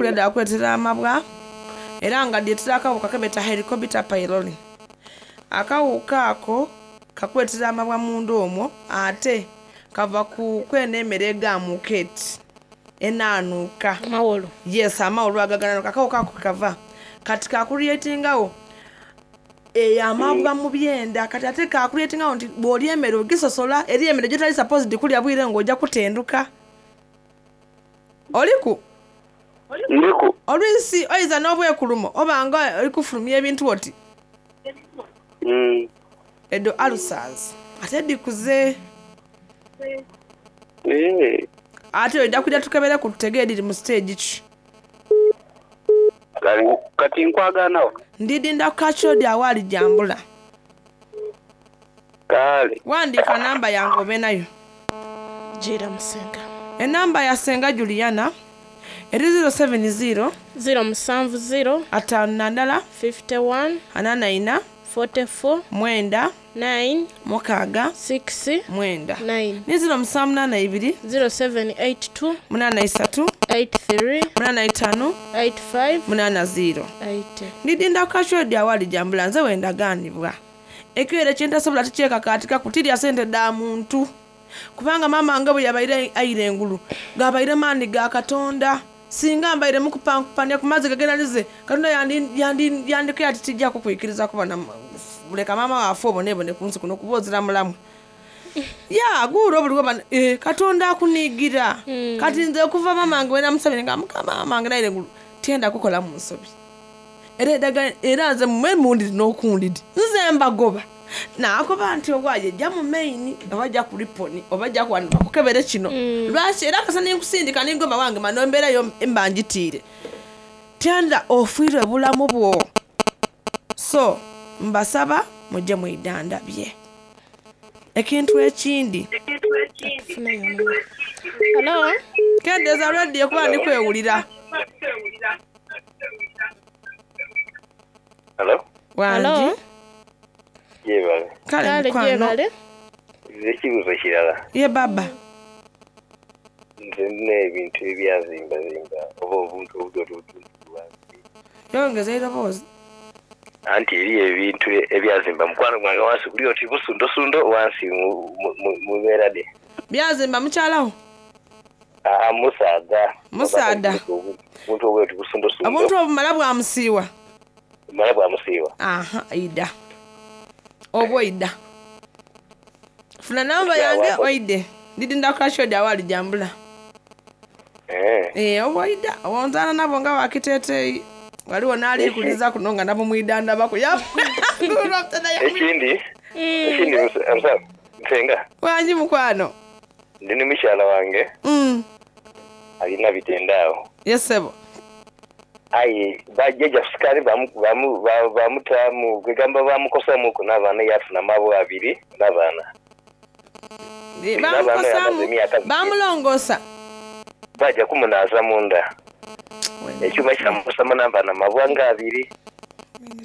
kulya dhakuleetera amabwa era nga dhiretera akawuka kebeta Helicobacter pylori. Akawuka ako kakuleetera amabwa munda omwo ate kava ku kweno emere egaamuuka eti enaanuuka. Amawolu. Yes, amawolu ago aganaanuuka akawuka ako kwekava. Kati ka creatingawo eyo amabwa mu byenda kati ate ka creatingawo nti bw'olya emere ogisosola eriyo emere gyotali supposed kulya bwire ng'oja kutenduka. Oliku? Ndiku. Olwisi oiza n'obwekulumo oba nga oli kufulumya ebintu oti. Mm. Edho ulcers ate dhikuze. Eeh. Ate oidha kwidha tukebereku tutegeere dhiri mu stage ki. Kale kati nkwagaana wa? Ndidinda ku kakyodi agho alijambula. Kale. Wandiika namba yange obe nayo. Jiira musenga. Enamba ya Senga Juliana eri 070. 0 70. 51. 51. 44. 44. 9. 9. 6. 6. 9. 9. Ni 0782. 0782. 83. 83. 85. 85. 80. 80. Ndidinda ku kakyodi agho alijambula nze wendagaanibwa. Ekibaire kye ntasobola tikyekakaatikaku tirya sente dha muntu. Kubanga maama wange bwe yabaire aira engulu, gabaire maani ga Katonda. Singa mbaire mukupankupania ku maziga ge nalize, Katonda yandikoye ati tija kukwikiriza kuba na leka maama wo afe obonebone ku nsi kuno kuba ozira mulamu. Ya, guwulira obuliwo bano, eh, Katonda akuniigira. Kati nze okuva maama wange bwe namusabire nga Mukama maama wange naira engulu, tyenda kukolamu nsobi. Era eddagala era nze mwe mundidi n'okundidi nze mbagoba. Naakoba nti owaaye ja mu main oba ja ku Ripon oba ja ku wano bakukebere kino. Lwaki era kasita ninkusindika ningoba wange mano embeera yo mba ngitiire. Tyenda ofiirwe bulamu bwo. So mbasaba muje mwidhandhabye. Ekintu ekindi. Hello? Kendeeza radio kuba ndi kwewulira. Hello? Wangi. Hello? Gyebale. Kale Kale mukwano. gyebale. Nze ekibuuzo kirala. Ye baba. Nze ndina ebintu ebyazimbazimba oba obuntu obutoto obutundu wansi. Yongeza eiroboozi. Anti eriyo ebintu ebyazimba mukwano gwange wansi kuli oti busundosundo wansi mu mbeera dhe. Byazimba mukyalawo? Aa musaadha. Musaadha. Obuntu obwoti busundosundo. Obuntu obumala bwamusiiwa? Bumala bwamusiiwa. Aha, ida. Oba oida. Funa namba yange oide. Ndidinda ku kashodi awali jambula. Eh. Eh, oba oida. Onzaana nabo nga wakiteeteeyi. Waliwo n'ali kuliza kuno nga nabo mwidandabako. Ekindi, ekindi musa nsenga. Wangi mukwano. Ndi ni mukyala wange alina bitende awo. Yes sebo. Aye bajjaja sukali bamutaamu kwegamba bamukosamuku n'abaana yafuna amabwa abiri n'abaana. Bamukosamu, bamulongosa. Baja kumunaaza munda. Ekyuma kyamukosamu n'abaana amabwa nga abiri.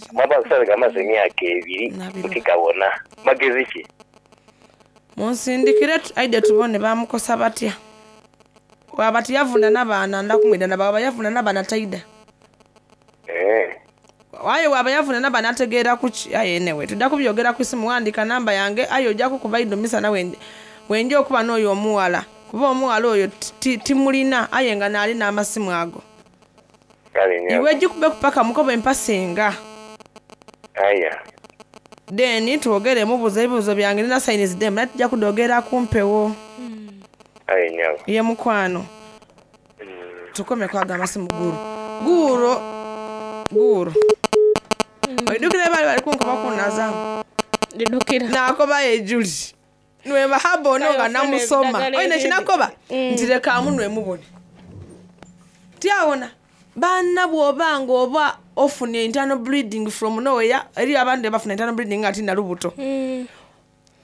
Amabwa agasale gamaze emyaka ebiri butikawona. Magezi ki? Munsindikire aide tubone bamukosa batya. Waba tiyavuna n'abaana ndakumwidana baba yavuna n'abaana taida. Eh. Aye waba yavuna n'abaana ategeera kuki aye anyway tudda kubyogera ku isimu wandika namba yange aye ojja kukuba idho misana wenja okuba n'oyo omuwala kuba omuwala oyo timulina aye nga naali n'amasimu ago. Kale nnyo. Iwe gikube kupaka mukobe mpasinga. Aya. Then twogere mubuuza ebibuuzo byange nina signs dem naye tujja kudogera ku mpewo. Aye nnyo. Ye mukwano. Tukome kwaga amasimu guuro. Guuro. Guuro. Oidukira bali bali kunkoba kunazaamu. Ndidukira. Nakoba ye Julie. Nweba habo ono nga Kale ofuna namusoma. eddagala Oyina erindi. kinakoba nti leka munwe mubone. Tyawona. Banna bw'oba ng'oba ofuna internal bleeding from nowhere, eriyo abantu abafuna internal bleeding nga tina lubuto.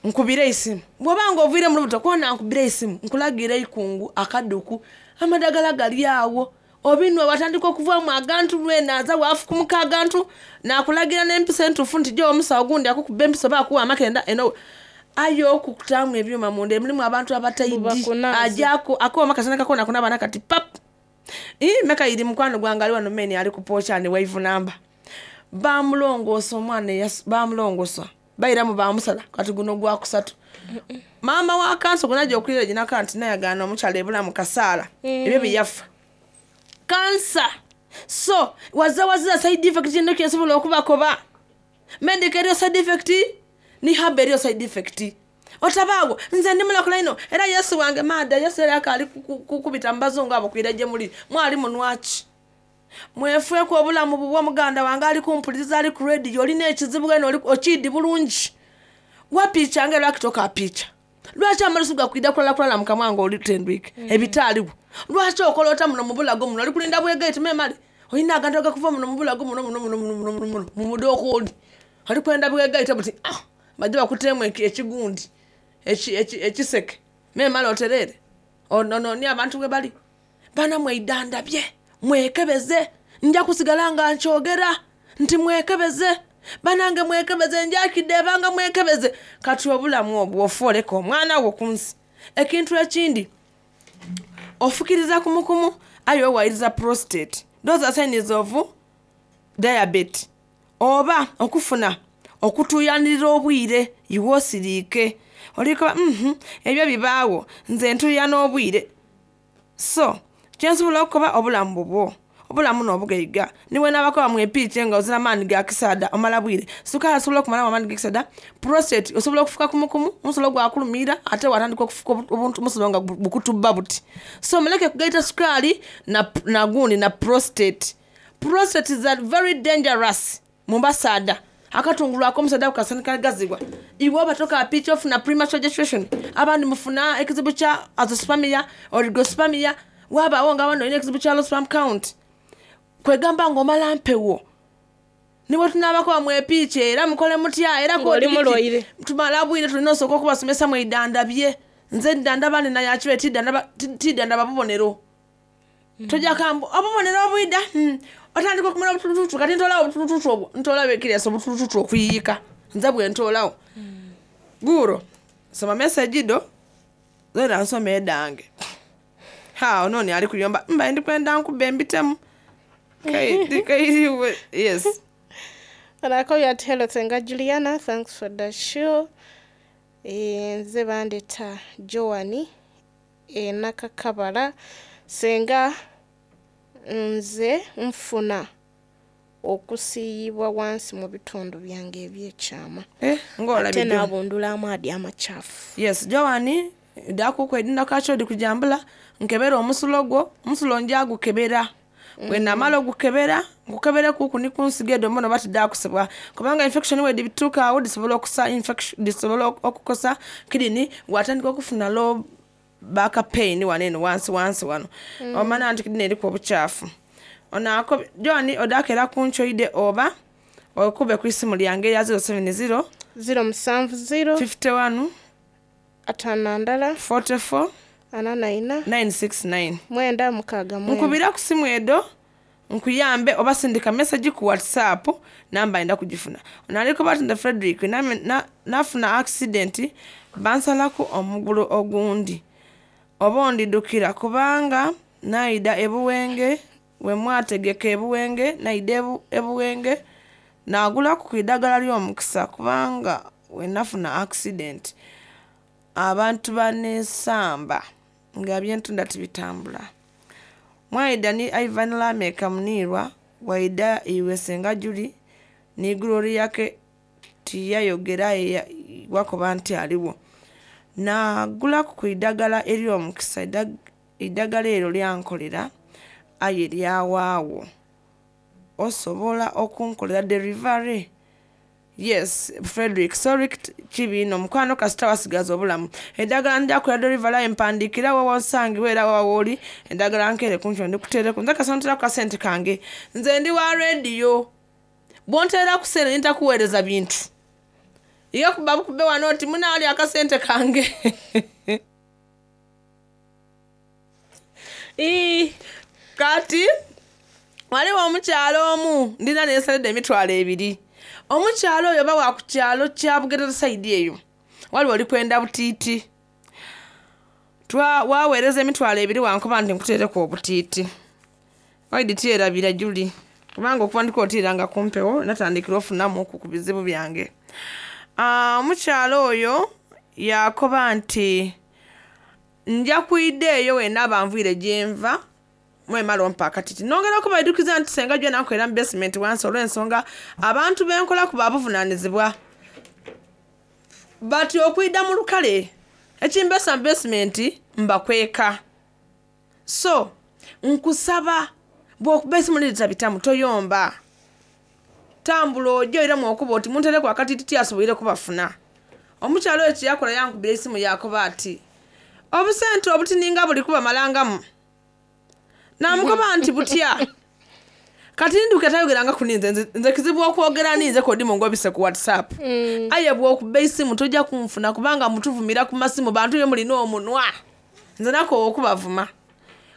Nkubire isimu. Bw'oba ng'oviire mu lubuto kwona nkubire isimu, nkulagira eikungu, akaduku, amadagala gali awo. Obinwe watandika okuvaamu agantu lwenaaza waafukumuka agantu, naakulagira n'empiso entuufu nti gyo omusawo gundi akukuba empiso oba akuwa amakenda eno. Aye okukutaamu ebyuma munda mulimu abantu abataidi. Bubakunaaza. Ajja akooma kasana kakona kunaaba nakati pap. Ii, meka iri mukwano gwange ali wano meni ali kupokyani waivunamba bamulongoosa omwana bamulongosa bairamu bamusala kati guno gwakusatu. Maama wa kansa gunaja okulira ginaka nti nayagaana omukyala ebulamu kasaala ebyo byeyafa kansa. So waza wazira side effect eno kyensobola okubakoba. Medical eriyo side effect ni haba eriyo side effect. Otabaawo nze ndi mulokola ino era Yesu wange maada Yesu yali akaali kukubita mu bazungu abo kwira gye muli mwali munwaki. Mwefeeko obulamu bubwo muganda wange ali kumpuliriza ali ku radio olina ekizibu eno oli okiidi bulungi. Wapiica nga lwaki tokapiica? Lwaki amalusu gakwida kulala kulala mu kamwa nga oli tendwike ebitaaliwo? Lwaki okola ota muno mu bulago muno oli kulinda bwegaiti memale olina agantu agakuva muno mu bulago muno muno muno muno muno muno muno mu mudokooli oli kwenda bwegaite buti ah bajje bakuteemu ekigundi ekiseke memale otereere onooni abantu bwe bali bana mweidandabye mwekebeze nja kusigala nga nkyogera nti mwekebeze banange mwekebeze njakidde ebanga mwekebeze. Kati obulamu obwo ofa oleka omwana wo ku nsi. Ekintu ekindi ofukiriza kumukumu aye owayiriza prostate. Those are signs of diabetes. Oba okufuna okutuuyanirira obwire iwe osiriike olikoba ebyo bibaawo nze ntuuyana obwire. So kyensobola okukoba obulamu bubwo obulamu n'obugaiga niwe nabakoba mwepiice nga ozira maani ga kisaada omala bwire. Sukaali asobola okumalamu amaani g'ekisaada. Prostate osobola okufuka kumukumu omusulo gwakulumiira ate watandika okufuka obuntu omusulo nga bukutubba buti. So muleke kugaita sukaali na gundi na prostate. Prostate is a very dangerous mu basaada. Akatungulu ak'omusaada kasanika gazibwa iwe oba tokapiica ofuna premature ejaculation abandi mufuna ekizibu kya azoospermia oligospermia wabaawo nga abandi olina ekizibu kya low sperm count. Kwegamba ng'omala mpewo. Niwe tunabakoba mwepiice era mukole mutya era tumala bwire tulina osooka okubasomesa mwidandabye nze ndandaba nina yakibe tidandaba bubonero. Tojja kambu obubonero obwida otandika okumala obutulututu kati ntoolawo obutulututu obwo ntoolawo ekiriasa obutulututu okuyiika nze bwe ntoolawo. Guuro soma message do zena nsoma edange. Ha ononi ali kuyomba mba ndi kwenda nkuba embitemu. Kairiwe yes. And I call you at hello Senga Juliana, thanks for the show. Nze bandeta Joani Nakakabala. Senga nze nfuna okusiiyibwa wansi mu bitundu byange ebyekyama. Ate n'abundula amaadi amakyafu. Yes, Joani dakukwedinda kachodi kujambula nkebera omusulo gwo omusulo njagukebera. Bwe namala ogukebera nkukebere kuku ni kunsiga edo mbono bati dakusibwa kubanga infection we dibituuka awo disobola okusa infection disobola okukosa kidney watandika okufuna low back pain wano eno wansi wansi wano. Omanya nti kidney eriko obukyafu. Ono ako Joani odakera kunkyoide oba okube ku isimu lyange ya 070 070 51 51 44 44 969 969. Nkubira ku simu edo nkuyambe oba sindika message ku WhatsApp namba enda kugifuna. Ono aliko Batinda Frederick nafuna accident bansalako omugulu ogundi oba ondidukira kubanga naida ebuwenge we mwategeka ebuwenge naida ebuwenge nagulaku ku iddagala ly'omukisa kubanga we nafuna accident abantu banesamba nga byentunda tibitambula. Mwaida ni Ivan Lameka Munirwa waida iwe Senga Juli ni Gloria ke tiyayogera wakoba nti aliwo. Nagulaku ku iddagala ery'omukisa eddagala eryo lyankolera aye lyawaawo. Osobola okunkolera delivery? Yes, Frederick, sorry kibi nno mukwano kasita wasigaza obulamu. Eddagala nja kukola delivery aye mpandiikira wa wonsangibwa era wa wooli eddagala nkeere kunkyo ndikuteereko nze kasita nteeraku kasente kange. Nze ndi wa radio. Bw'onteera ku ssente ntakuweereza bintu. Ye kuba bukube wano nti munaali akasente kange. Kati waliwo omukyalo omu ndina nensaledde 20,000. Omukyalo oyo oba wa ku kyalo kya Bugerere side eyo. Waliwo oli kwenda butiiti. Waweereza 20,000 wankuba nti nkuteereko obutiiti. Oidi tyerabira Juli kubanga okuva ndiko otiiranga kumpewo natandikira ofunamuku ku bizibu byange. Omukyala oyo yakoba nti nja kwida eyo wenaaba nvwire gyenva mwemala ompa akatiti. Nongera okubaidukiza nti senga jwe nankolera mu basement wansi olw'ensonga abantu benkolaku babuvunaanizibwa bati okwida mu lukale ekimbesa mu basement mbakweka. So nkusaba bw'okuba esimu niritabitamu toyomba, tambula ojje oiremu okuba oti muntereku akatiti tyasoboire kubafuna. Omukyala oyo kyeyakola yankubira esimu yakoba ati obusente obutininga buli kubamalangamu. Namukoba nti butya kati nduka tayogeranga kuninze nze kizibu okwogera ninze kodimu ngobise ku WhatsApp. Aye bw'okuba esimu tojja kunfuna kubanga mutuvumira ku masimu bantu ye mulina omunwa. Nze nakoowa okubavuma.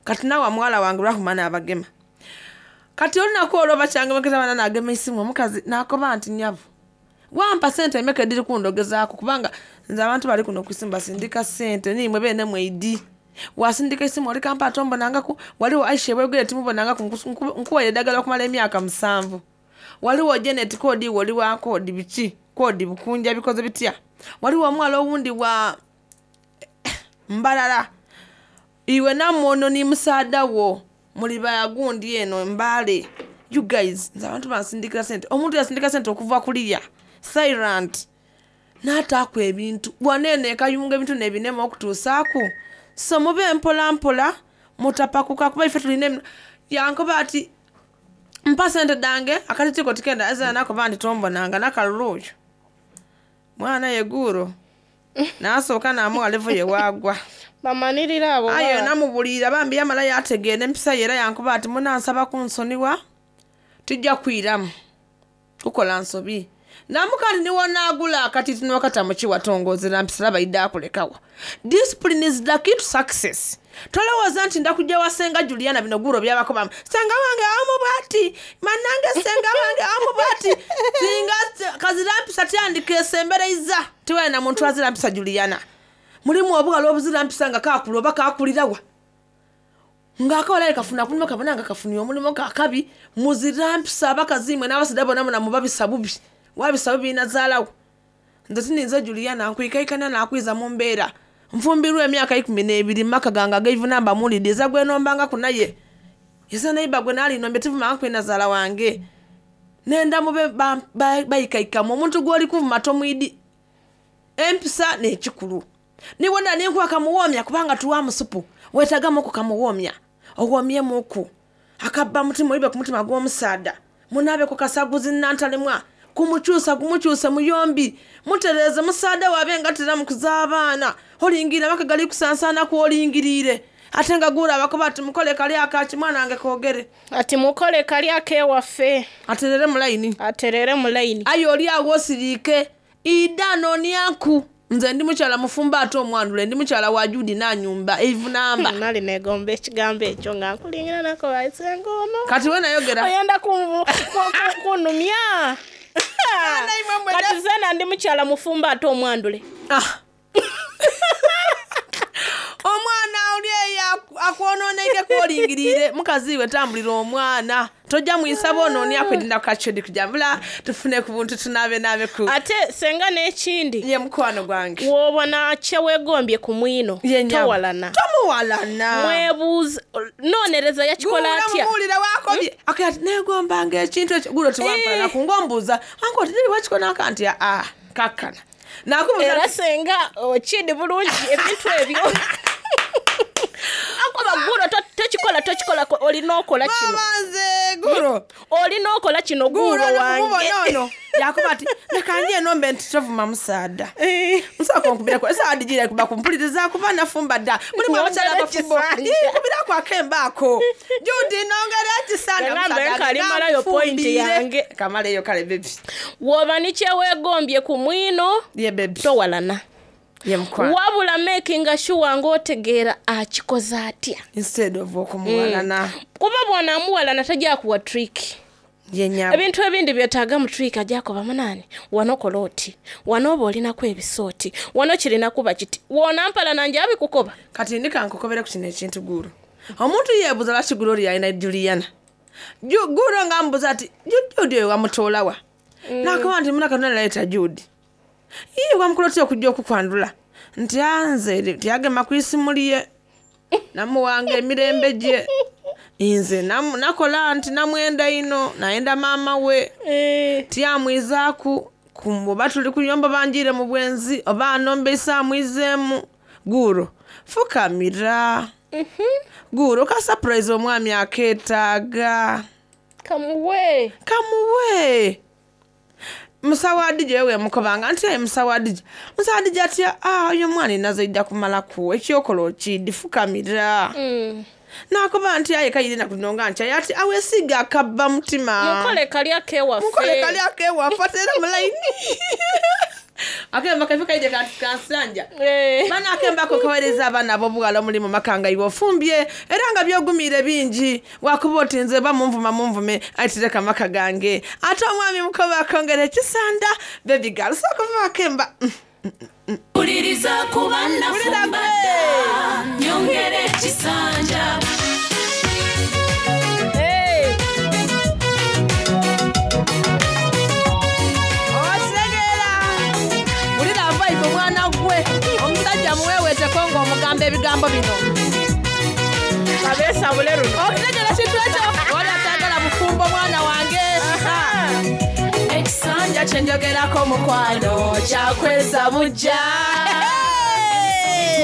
Kati nawa muwala wange Rahuma n'abagema. Kati olunaku olwo bakyangemekeza bana nagema esimu omukazi nakoba nti nyavu wampa sente emeka ediri kundogezaako kubanga nze abantu bali kuno ku isimu basindika sente nimwe beene mweidi. Wasindika esimu oli kampa atombonangaku waliwo Aisha ebwegere timubonangaku nkuwaire eddagala okumala emyaka 7. Waliwo Janet kodi woli wa kodi biki kodi bukunja bikoze bitya. Waliwo omuwala owundi wa Mbarara iwe namwono ni musaada wo muli bagundi eno Mbale. You guys nze abantu bansindikira sente omuntu yasindika sente okuva kuliya silent n'ataaku ebintu waneeno ekayunga ebintu nebinema okutuusaaku. So mube mpola mpola mutapakuka kuba ife tulina yankoba ati mpa sente dange akatitiko tikenda azana nakoba nti tombonanga nakalulu oyo mwana yeguuro nasooka namuwa levo ye waagwa. Bamanirira abo aye namubuulira bambi yamala yategeera empisa ye era yankuba ati munansaba kunsoniwa tijja kwiramu kukola nsobi. Namukandi niwonaagula akatiti nokata mukiwatongozera mpisa baidde akulekawa. Discipline is the key to success. Tolowooza nti ndakujja wa senga Juliana bino guuro byabakobamu senga wange amu bwati manange senga wange amu bwati singa kazira mpisa tyandika esembereiza tiwaye na muntu azira mpisa Juliana. Mulimu obugalo obuzira mpisa nga kakula oba kakulirawa ng'akawala kafuna kulimo kabona nga kafunye omulimu kakabi muzira mpisa abakazi imwe n'abasidde bonna muna mubabisa bubi wabisa bubi nazaalawo. Nze tininze Juliana nkwikaikana nakwiza mu mbeera nfumbirwa emyaka 12 maka gange ag'eivunamba mulidde eza gwenombanga naye eza neiba gwe naalinombye tivumanga kwenazaala wange nenda mube bayikaikamu omuntu gw'oli kuvuma tomwidi empisa n'ekikulu niwona ninkuwa kamuwoomya kubanga tuwa musupu weetagamuku kamuwoomya owomyemuku akabba mutima oyibe ku mutima gw'omusaada munaabeko kasaguzi nantalemwa kumukyusa gumukyuse muyombi mutereeze musaada wabe nga tera mukuza abaana olingira maka gali kusansaana kwolingiriire ate nga guula abakoba ati mukole kali akaki mwana wange koogere ati mukole kali akewaffe aterere mu layini aterere mu layini. Aye oli awo osiriike ida noonyanku nze ndi mukyala mufumba ate omwandule ndi mukyala wa Judi nanyumba eivunamba. Nali negomba ekigambo ekyo nga nkulingira nako bayisenga ono kati we nayogera oyenda kunumya kati zena ndi mukyala mufumba ate omwandule. Omwana oli eyo akwononeike kwolingiriire mukazi we tambulira omwana tojja mwisaba onoonia kwedinda kukachodi kujambula tufune ku buntu tunaabe naabe ku ate senga n'ekindi ye mukwano gwange w'obona kyeweegombye ku mwino towalana tomuwalana mwebuuza noonereza yakikola atya muwulira wakobye ati negombanga ekintu ekyo gulo tiwampalana kungombuuza anko oti niri wakikonaka nti aa kakkana nakubuuza era senga okindi bulungi ebintu ebyo akoba gulo tokikola tokikola olina okola kino. Nze gulo olina okola kino gulo wange. ono. Yakuba ati leka nje enombe nti tovuma musaada. Nsooka onkubireko esaawa digira kuba kumpuliriza kuba nafumba dda. Mulimu abakyala abafumbo. Nkubirako akembaako Judi nongera ekisanja Ngambe point yange. Kamaleyo kale bebi woba ni kyeweegombye ku mwino ye bebi towalana wabula makinga sure ng'otegeera akikoze atya. Instead of okumuwalana. Kuba bw'onaamuwalana tajja kuwa trick. Ebintu ebindi byetaaga mu trick ajja kuba munaani wano kola oti wano oba olinaku ebisooti wano kirina kuba kiti woonampalana nje abikukoba. Kati ndika nkukobere ku kino ekintu guulu omuntu yeebuuza lwaki gulo oli yalina Juliana? Guuro nga amubuuza ati, Jude oyo wamutoola wa? N'akoba nti, Muna Katonda naleeta Jude. Ii, wamukola otya okujja okukwandhula? Nti, Ah, nze tiyagema ku isimu lye. Namuwanga emirembe gye. Nze nakola nti namwenda inho, nayenda maama we. Tiyamwizaaku, oba tuli kuyomba oba njiire mu bwenzi, oba anombeisa amwizeemu. Guuro, fukamira. Guuro, ka surprise omwami akeetaaga. Kamuwe. Kamuwe. Musawo Adija oyo wemukobanga nti aye Musawo Adija. Musawo Adija ati, ah, oyo omwana enaze aidha kumalaku, ekyokola okiidhi, fukamira. Naakoba nti aye kaire enaku dhino nga nkyaye ati aweesiiga akabba mutima. Mukole kali ak'ewaffe. Mukole kali ak'ewaffe ate era mu layini. Akemba kaife kaidhe kansanja. Bana akemba ako kaweereza abaana ab'obughala omuli mu maka nga iwe ofumbye era nga by'ogumiire bingi. Wakuba oti nze oba munvuma munvume aye tireka maka gange. Ate omwami mukoba akongera ekisanda. Baby girl sooka ove akemba. Wuliriza kuba nafumba dda, nyongera ekisanja. Otegeera. Wulira vibe omwana gwe. Omusajja muweweeteko ng'omugamba ebigambo bino. Abeesabule luno. Okutegeera kintu ekyo. Wali atayagala bufumbo mwana wange. Ekisanja kye njogerako mukwano kyakweza bujja.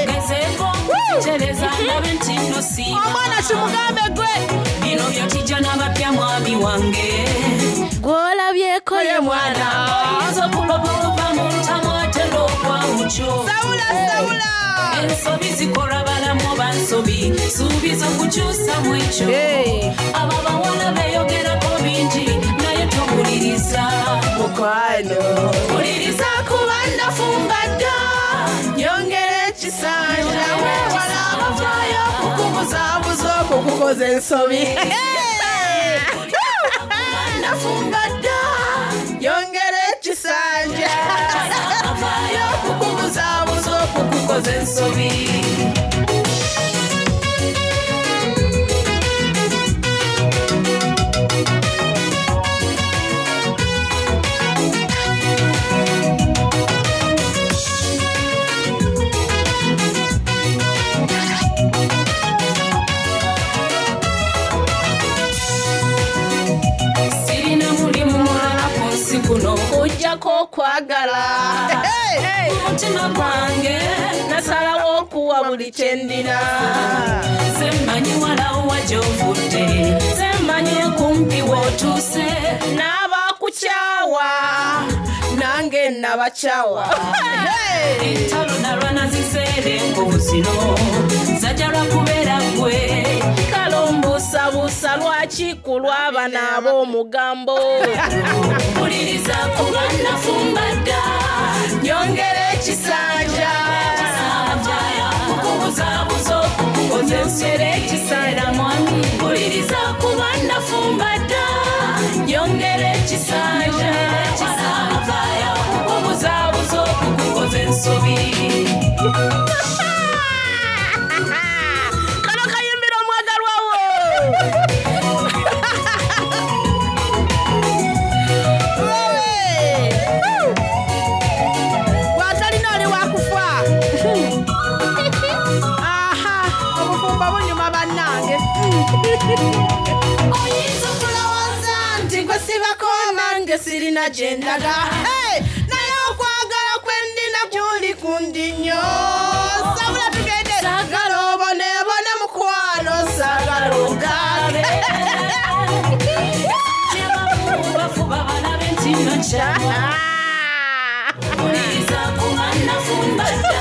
Tugezeeko okutereza ndabe nti nno siima. Omwana kimugambe gwe. Bino byotijja n'abapya mwami wange. Gw'olabyeko ye mwana. Oyinza okuloba okuva mu ntamu ate n'ogwa mu kyo. Sawula, sawula. Ensobi zikolwa balamu oba nsobi, suubiza okukyusa mu ekyo. Abo abawala beeyogerako bingi naye towuliriza. Mukwano. Wuliriza kuba nafumba dda. Nyongera ekisanja, weewala abavaayo okukubuzaabuza okukukoza ensobi. Nafumba dda. Nyongera ekisanja, Abavaayo okukubuzaabuza okukukoza ensobi. Sirina mulimu mulala ku nsi kuno Ojjako okwagala. Umutima gwange Nasalawo okuwa buli kye ndina. Nze mmanyi walawo wa gy'ovudde, nze mmanyi okumpi w'otuuse. N'abakukyawa nange nabakyawa. Entalo nalwana ziseera enkovu zino zajja lwa kubeera ggwe. Kale ombuusabuusa lwaki ku lw'abano ab'omugambo. Wuliriza kuba nafumba dda, Nyongera ekisanja. Okukubuzaabuza okukukoza Nyongera ekisanja mwami. Wuliriza kuba nafumba dda, nyongera ekisanja. Okukubuzaabuza okukukoza ensobi. Kano kayimbira omwagalwa wo. Bw'atalina oli wakufa. Aha, obufumbo bunyuma bannange. Oyinza okulowooza nti gwe sibako nange sirina gye ndaga. Hey, naye okwagala kwe ndina kuli kundi nnyo. Sabula tugende. Saagala oboneebone mukwano, saagala ogabe. Bafuba balabe nti nno nkyawa. Wuliriza kuba nafumba dda,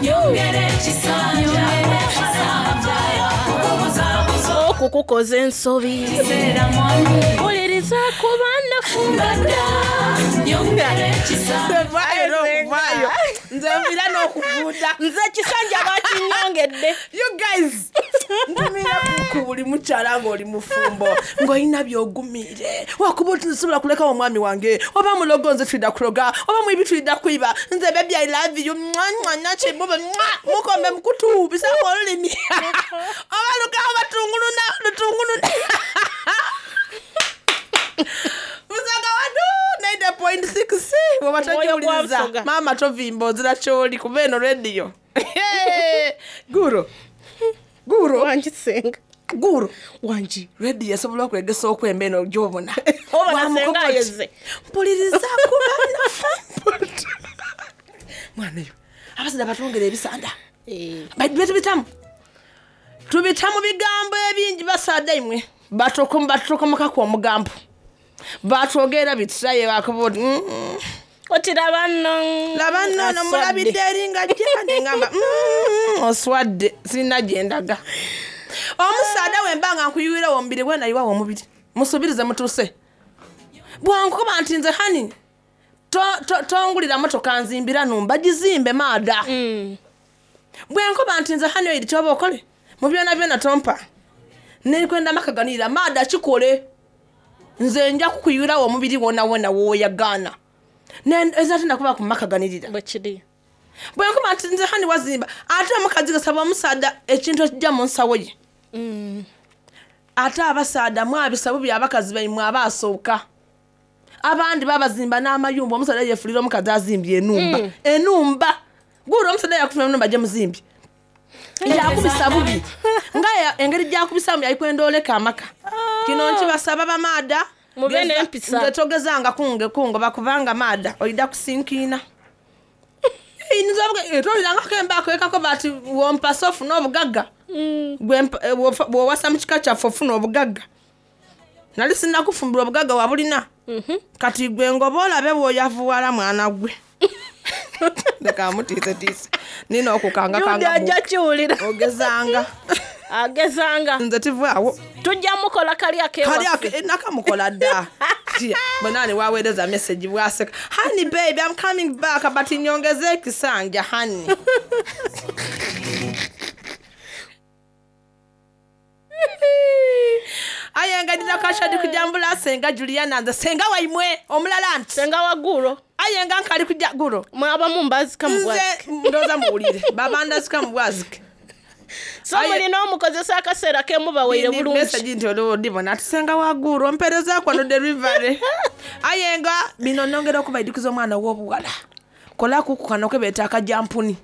nyongera ekisanja. Okukubuzaabuza Okukukoza ensobi. okuseera mwami. Wuliriza kuba nafumba dda, nyongera ekisanja. Vaayo n'okuvaayo. Nze nviira n'okuvuuda. Nze ekisanja bakinyongedde. You guys, ntumira ku buli mukyala ng'oli mufumbo ng'olina by'ogumiire. Wakuba oti nsobola kulekawo omwami wange, oba mulogo nze tulida kuloga, oba mwibi tulida kwiba. Nze baby I love you, mwa, mwa, nakibuba, mwa, mukombe mukutu, bisaako olulimi. Oba lukawo batunguluna, lutunguluna. Busoga wadu 90.6 bwoba Omwoyo gwa togiwuliriza Busoga. maama tovimba ozira kyoli kuba eno rediyo guro guro Wangi senga. guro Wangi. rediyo esobola okwegesa okwemba eno gyobona Obona Wamukoba senga oti, ayeze. mpuliriza kubana mwana yo abasajja batwongera ebisanda Eh. Baitu tubitamu tubita mu bigambo ebingi basaada imwe batokomokaku omugambo batwogera bitiraye bakuba oti "Mm, Oti laba nno. laba nno ono Aswadde. mulabidde eri nga jja ngamba oswadde sirina gye ndaga omusaada wemba nga nkuyiwirawo omubiri gwenayiwawo omubiri musuubirize mutuuse bwankuba nti nze hani tongulira motoka nzimbira numba gizimbe maada bwe nkuba nti nze hani oiri kyoba okole mu byona byona tompa nekwenda makaganirira maada kikole nze nja kukuyiwirawo omubiri wona wona woyagaana eza tenakuba kumakaganirira Bwe kiri. bwe nkuba nti nze hani wazimba ate omukazi gasaba omusaada ekintu ekijja mu nsawo ye ate abasaada mwabisa bubi abakazi baimwe abaasooka abandi babazimba n'amayumba omusaada yefulira omukazi azimbye enumba enumba guula omusaada yakufuna enumba gye muzimbye yakubisa bubi nga engeri gyakubisamu yalikwenda oleka amaka kino nkibasaba bamaada Mube n'empisa. nze togezanga kunge kungoba kubanga maada oida kusinkiina tolirangako embaako ekako bati wompasa ofuna obugagga Gwe bw'owasa mu kika kyaffe ofuna obugagga nali sinnakufumbirwa obugagga wabulina kati gwe ngoba olabe bw'oyavuwala mwana gwe leka mutiisetiise nina Jude okukangakanga ajja kiwulira. ogezanga Agezanga. nze tivaawo Tujja mukola kali kali akewaffe. nakamukola dda Tia, bwenani waweereza message bwaseka honey baby i'm coming back but nyongeze ekisanja honey aye nga ndina kashadi kujambula senga juliana nze senga waimwe omulala nti Senga wagulo. aye nga nkali kuja gulo Mwaba mumbazika mu nze bwazike. ndooza muwulire babandazika mu bwazike So Aye. mulina omukozesa akaseera ke mubaweire Ndi bulungi. message nti olwo ndibona ati senga waguulu ompereza kwano delivery aye nga bino nongera okubaidukiza omwana ow'obuwala kolaku ku kano kebeeta akajampuni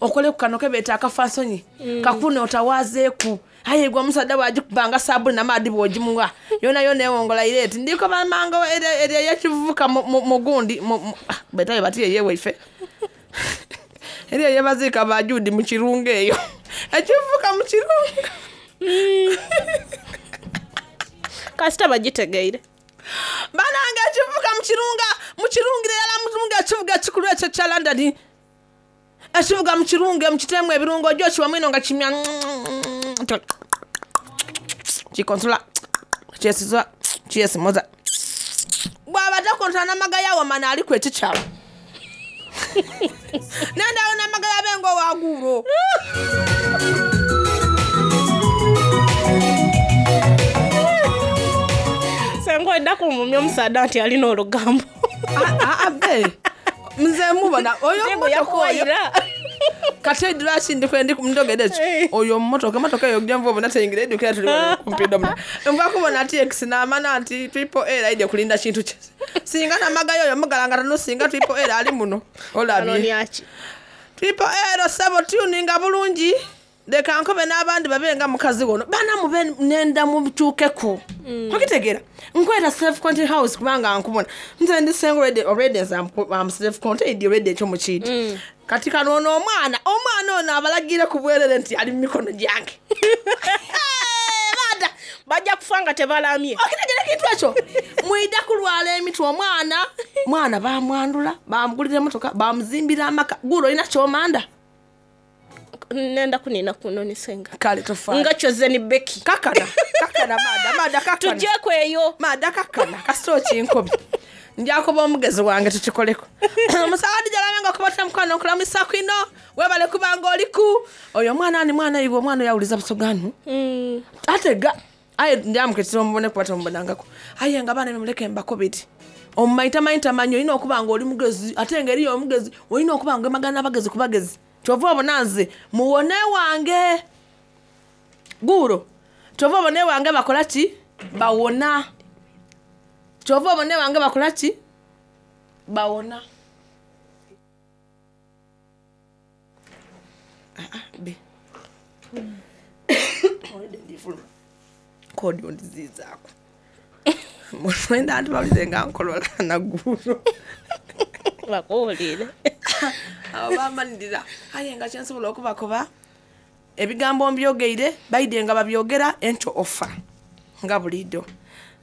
okole ku kano kebeeta akafansonyi kakune otawaazeeku aye gwe omusadda bwagikubanga sabuni namaadi bw'ogimuwa yona yona ewongola ire eti ndiko bamanga eri eyekivuka mugundi betayo bati eyewaife eri eyebaziika bajudi mu kirungo eyo ekivuka mu kirungo Kasita bagitegeire. banange ekivuga mukirunga mukirungira erala mukirunga ekivuga ekikulu ekyo ekya london ekivuga mukirunge mukiteemu ebirungo ojja okiwamu ino nga kimya kikonsula kyesiza kyesimoza bwaba takontola namagaya wamana aliku ekikyalo nendawo namagaya benga owaguulo Senga olina kumumya omusaada nti alina olugambo. abe nze mubona oyo Ntengo mmotoka oyo yakuwayira. kati lwaki ndogera ekyo Eh. oyo mmotoka emotoka eyo gyenva obona teyingira edukira tuli wano kumpi domina nva kubona tx namana nti triple l aidye kulinda kintu kye singa namagayo oyo mugalanga tano singa triple l ali muno olabye Anonyaki. triple l sebo tuninga bulungi leka nkobe n'abandi babe nga mukazi wono bana mube nenda mutuukeko okitegeera nkweta self contain house kubanga nkubona nze ndi single already already nze am self contained already ekyo mukiiti kati kano ono omwana omwana ono abalagire ku bwerere nti ali mu mikono gyange Hey, baada Bajja kufa nga tebalamye. okitegeera ekintu ekyo mwida kulwala emitwe omwana mwana bamwandula bamugulira emotoka bamuzimbira amaka gulo olina kyomanda Nenda kunina kuno ni senga. kale tofa Nga kyoze ni Becky. kakana kakana maada maada kakana Tujjeeko eyo. maada kakana kasita okinkobye njakuba omugezi wange tukikoleko omusawadi jalabe nga okubatira mukwano nkulamisa kwino webale kubanga oliku oyo omwana ani mwana iwe omwana oyo awuliza busoganu atega aye njamuketera omubone kuba tomubonangako aye nga baana bemuleke mbakobeti omumaitamaitamanyi olina okuba nga oli mugezi ate nga eriyo omugezi olina okuba nga emagana abagezi ku bagezi kyova obona nze muwone wange guulo kyova obone wange bakola ki Bawona. Kyova obone wange bakola ki? Bawona. Ah, ah, be. Olwedde ndifuluma. Kodi ondiziizaako. Mwenda nti bawulire nga nkolola naggulo. Bakuwulire. Abo bamanirira. Aye nga kyensobola okubakoba ebigambo mbyogeire baidye nga babyogera enkyo ofa nga buliido.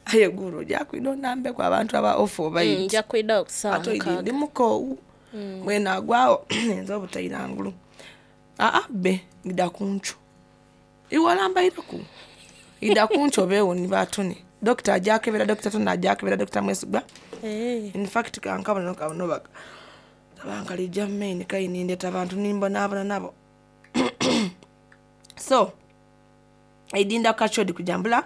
Aye gulo ojja kwida onambeku abantu aba ofa obaidi. Nja kwida ku ssaawa Ate oidi mukaaga. ndi mukoowu. Mwene agwawo nza obutaira ngulu. Aa be ngida kunco. Iwe olambaireku. Ida kunco obeewo ni batone. Dokita ajja akebera, Dokita Tony ajja akebera, Dokita Mwesigwa. In fact kankabona kabona baka. Abankalija main kaini ndeta abantu nimbonaabona nabo. So eidinda kachodi kujambula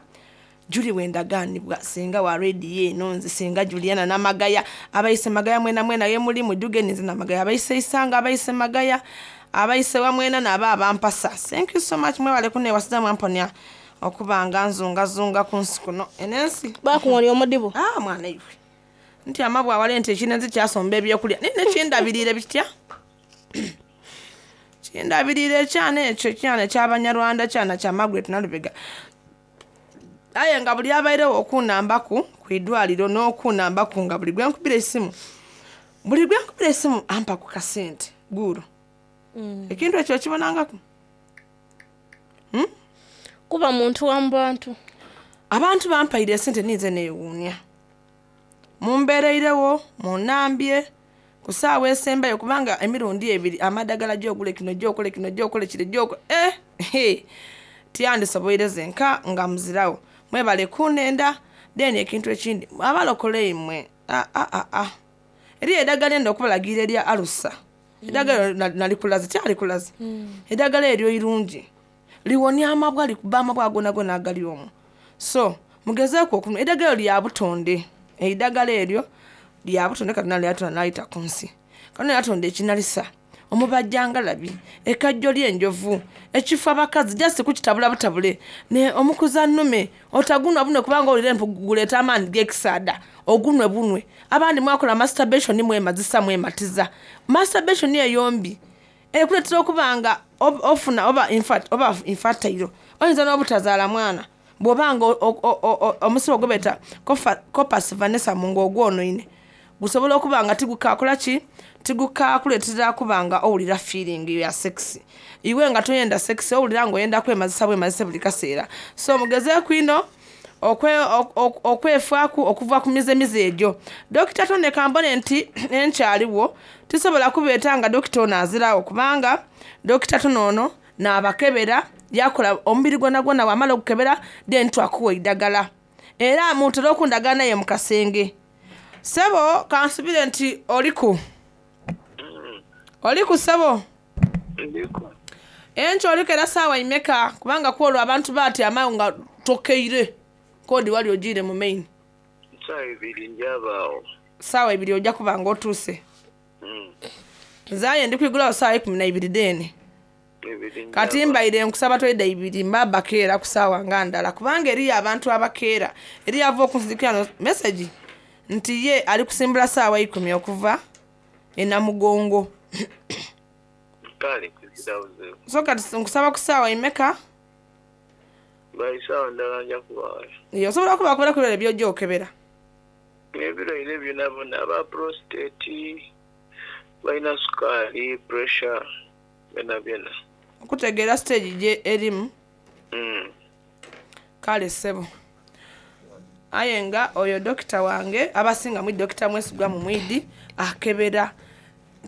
Julie wendagaanibwa singa wa radio eno nze singa Juliana Namagaya abayise Magaya mwena mwena ye muli muduge nze Namagaya abayise Isanga abayise Magaya abayise wamwena nabo abampasa. Thank you so much mwebale kunewasiza mwamponya okubanga nzungazunga ku nsi kuno enensi. Bakuwolya omudibo. Ah mwana iwe. Nti amabwa awale nti ekinenzi kyasomba ebyokulya naye nekindabirire bitya? Kindabirire ekyana ekyo ekyana ekyabanyarwanda kyana kya Margaret Nalubega. Aye nga buli abairewo okunambaku ku idwaliro n'okunambaku nga buli gwe nkubira esimu. Buli gwe nkubira esimu ampa ku kasente guuro. Ekintu ekyo okibonangaku? Kuba muntu wa mu bantu. Abantu bampaire esente ninze neewuunya. Mumbeereirewo, munnambye, ku ssaawa esembayo kubanga emirundi ebiri amadagala gy'ogule kino gy'okole kino gy'okole kire gy'okole eh, he, tyandisoboire zenka nga muzirawo. Mwebale kunenda, then ekintu ekindi abalokole imwe ah, ah, ah, ah. Eriyo eddagala enda okubalagira erya alusa. Eddagala eryo nalikulaze, tyalikulaze. Eddagala eryo irungi. Liwonya amabwa likuba amabwa gonagona agali omwo. So mugezeeku okunywa eddagala eryo lya butonde. Eddagala eryo lya butonde Katonda lyatonda n'ayita ku nsi. Katonda yatonda ekinalisa, omubajjangalabi, ekajjo ly'enjovu, ekifo abakazi just kukitabula butabule ne omukuza nnume otagunwa bunwe kubanga owulira empu guleeta amaanyi g'ekisaada ogunwe bunwe. Abandi mwakola masturbation mwemazisa mwematiza. Masturbation eyo mbi ekuleetera okuba nga ofuna oba oba infertile oyinza n'obutazaala mwana bw'oba nga omusibo gwe beeta corpus vanessa mu ng'ogwonoine gusobola okuba nga tigukakola ki tigukakuleetera kuba nga owulira feeling ya sex. Iwe nga toyenda sex owulira ng'oyenda kwemazisa bwemazise buli kaseera. So mugezeeku ino okwefaaku okuva ku mizemize egyo. Dokita Tone kambone nti enkyaliwo tisobola kubeeta nga dokita ono azirawo kubanga dokita Tone ono n'abakebera yakola omubiri gwona gwona bw'amala okukebera then twakuwa eddagala. Era mutera okundagana naye mu kasenge. Ssebo kansubire nti oliku. Oliku ssebo? Ndiku. Enkyo oliko era ssaawa imeka kubanga ku olwo abantu batyama nga tokeire kodi wali ogiire mu main. Ssaawa ibiri njabaawo. Ssaawa ibiri ojja kuba nga otuuse. Nze aye ndi kwigulawo ssaawa 12 deene. Kati mbaire nkusaba toyida ibiri mba bakeera ku ssaawa nga ndala kubanga eriyo abantu abakeera. Eriyo ava okunzijukira no message nti ye ali kusimbula ssaawa 10 okuva e Namugongo. Kale kuzirabuze. So kati nkusaba ku ssaawa imeka? Bali ssaawa ndala nja kubaayo. Ye osobola okubakubira ku birala by'ojja okebera. Ebirwaire byonna byonna aba prostate, balina sukaali, pressure, byonna byonna. Okutegeera stage gye erimu. Kale ssebo. Aye nga oyo dokita wange abasinga mu dokita Mwesigwa mu mwidi akebera.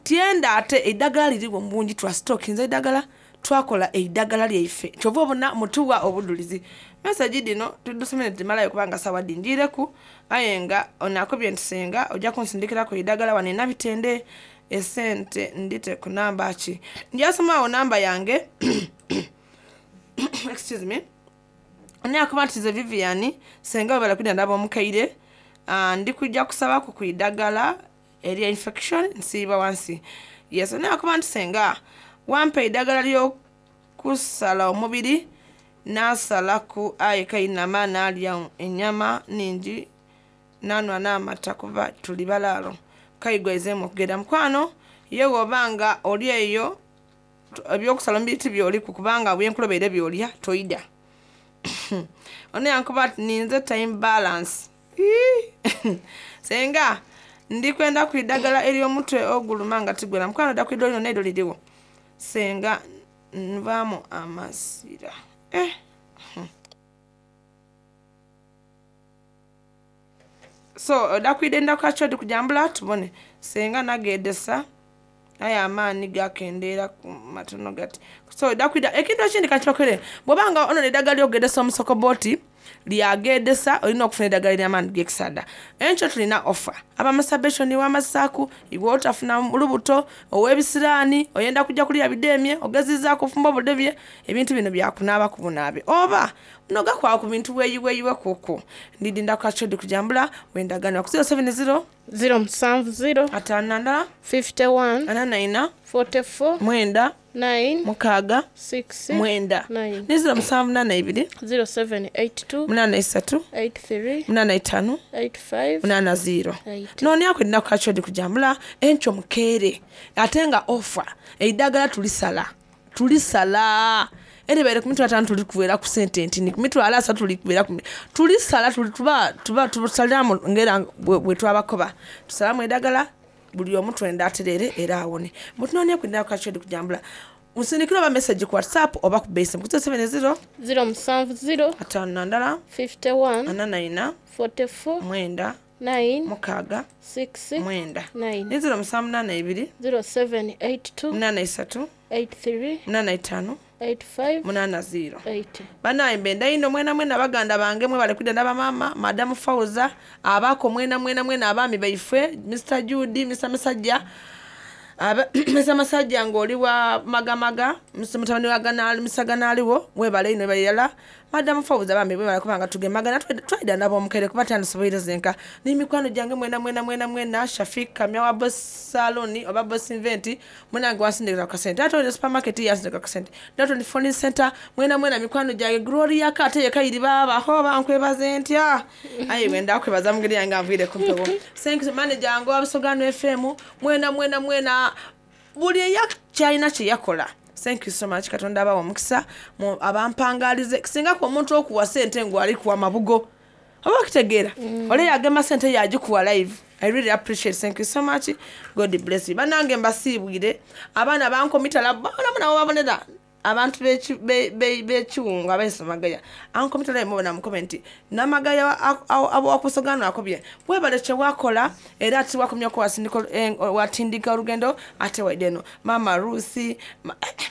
Tyenda ate eddagala liriwo mu bungi twa stockinze eddagala twakola eddagala lyaife. Kyova obona mutuwa obudulizi. Message dino tudusomere timalayo kubanga sawa dinjireku. Aye nga ono akobye nti senga ojja kunsindikirako eddagala wano enabitende esente ndite ku namba ki. Njasomaawo namba yange. Excuse me. Naye akuba nti nze Vivian senga webale kwidda ndaba omukaire. Ndi kujja kusabaku ku iddagala erya infection nsiiba wansi. Yes, naye akuba nti senga wampa eddagala ly'okusala omubiri Nasalaku aye kainama nalya enyama ningi nanwa n'amata kuba tuli balaalo. Kaigwaizeemu okugenda mukwano ye bw'obanga oli eyo ebyokusala omubiri tibyoliku kubanga bwenkulobeire byolya toida. Ono yankuba ati ninze time balance. Senga ndikwenda ku idagala ery'omutwe oguluma nga tigwera. Mukwano dda ku idolino neiddo liriwo. Senga nvaamu amasira. So odda kwida kachodi kujambula tubone. Senga nagedesa aye amaani gakendeera ku matono gati. So odda kwida ekintu ekindi kakibakole bw'obanga ono eddagala ly'okugedesa omusokobooti lyagedesa olina okufuna eddagala ery'amaani g'ekisada. Enkyo tulina offer. Aba masturbation w'amasaaku iwe otafuna lubuto ow'ebisiraani oyenda kujja kulya bidemye ogezizaako ofumba obudebye ebintu bino byakunaaba ku bunaabe oba nogakwaba ku bintu weeyiweeyiwe kuku. Ndidinda kachodi kujambula wendagano ku 070 070 5 51 44 44 9 9 6 6 9 9 ne 0782 0782 83 83 85 85 80 8. noonyaku erina kukachodi kujambula enkyo mukeere ate nga ofa eddagala tulisala tulisala eribaire ku mitwalo ataano tulikubeera ku sente ntini ku mitwalo asatu tulikubeera ku tulisala tuli tuba tuba tusaliramu ngera bwe twabakoba tusalamu eddagala buli omu twenda atereere era awone. Mutunoonyeku erina kukachodi kujambula musindikire oba message ku WhatsApp oba ku base ku 070 070 51 51 44 44 9 9 6 6 9 9 ne 0782 0782 83 83 85 85 80. 80. Banaye mbenda ino mwena mwena baganda bange mwebale kwidda ndaba maama madamu Fauza abaako mwena mwena mwena abaami baifwe Mr Judy Mr Masajja Mr Masajja ng'oli wa Magamaga Mr mutabani wa Ganaali Mr Ganaaliwo mwebale ino webalirala madamu Fauza bambi mwebale kubanga tugemagana twaida nabo omukere kuba tandisoboire zenka n'emikwano gyange mwena mwena mwena mwena Shafik Kamya wa Boss Salon oba Boss Invent mwenange wansindikira ku kasente ate oli supermarket yansindikira ku kasente Dalton Phone Center mwena mwena mikwano gyange Gloria ka ate yekayiri baabaho bankwebaze ntya aye bwe ndakwebaza mugeri yange anviire ku mpewo. Thank you manager wange wa Busogano FM mwena mwena mwena buli eyakyalina kye yakola. Thank you so much Katonda abawa omukisa abampangalize singa ku omuntu okuwa sente ng'ali kuwa mabugo oba okitegeera ole yagema sente yagikuwa live. I really appreciate. Thank you so much. God bless you. Banange mbasiibwire abaana bankomitala bona nabo babonera abantu b'ekiwungu abaisomagaya ankomitala mubona mu comment namagaya awakusogano akobye webale kye wakola era ati wakomyako watindika olugendo ate waide eno maama Ruth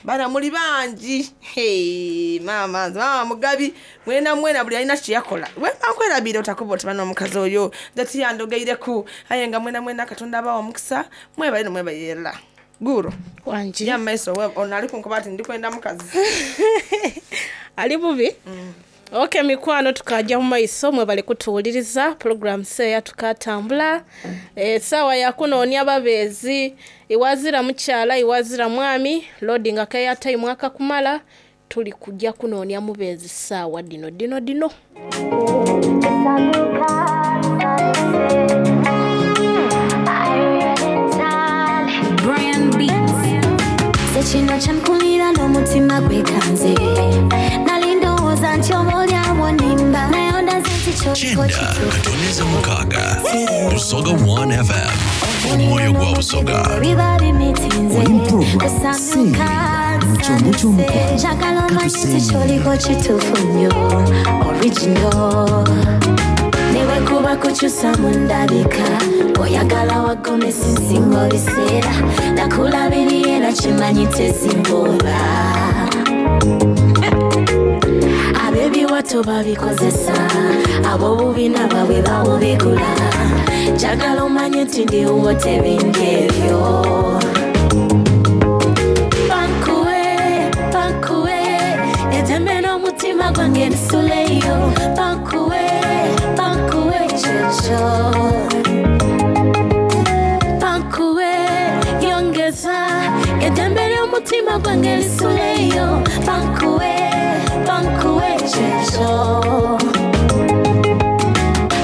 bana muli bangi. Hey, maama nze maama Mugabi mwena mwena buli alina kye yakola wemba nkwerabire otakuba oti bana omukazi oyo nze tiyandogeireku aye nga mwena mwena Katonda abawa omukisa mwebale no mwebayerera guro Wangi. ya maiso ono ali kunkuba ati ndikwenda mukazi Ali bubi. Okay mikwano tukajja mu maiso mwebale kutuwuliriza program seya tukatambula essaawa yakunoonya babeezi iwazira mukyala iwazira mwami loading akeya time akakumala tuli kujja kunoonya mubeezi ssaawa dino dino dino. Brian Beats. Kino kyankulira n'omutima gwekanze nali ndowooza nti oba olyawo nimba naye ondaze nti kyoliko Kyenda kituufu katoneza mukaaga Busoga 1 FM omwoyo gwa Busoga. Biba bimitinze Oli mu program Kusanyuka, Sseerinda mu kyombo ky'omukwano. njagala omanye nti Katuseerinda. kyoliko kituufu nnyo original newe kuba kukyusa mu ndabika oyagala wagomesi nsinga ebiseera nakulabiriye era kimanyi tezimbola ab'ebiwato babikozesa ab'obubina bwabwe bawubigula njagala omanye nti ndiwo tebindi ebyo bankuwe bankuwe eddembe n'omutima gwange nsuleyo bankuwe bankuwe kyekyo bankuwe yongeza eddembe ly'omutima gwange lisuleyo bankuwe bankuwe. ekyo.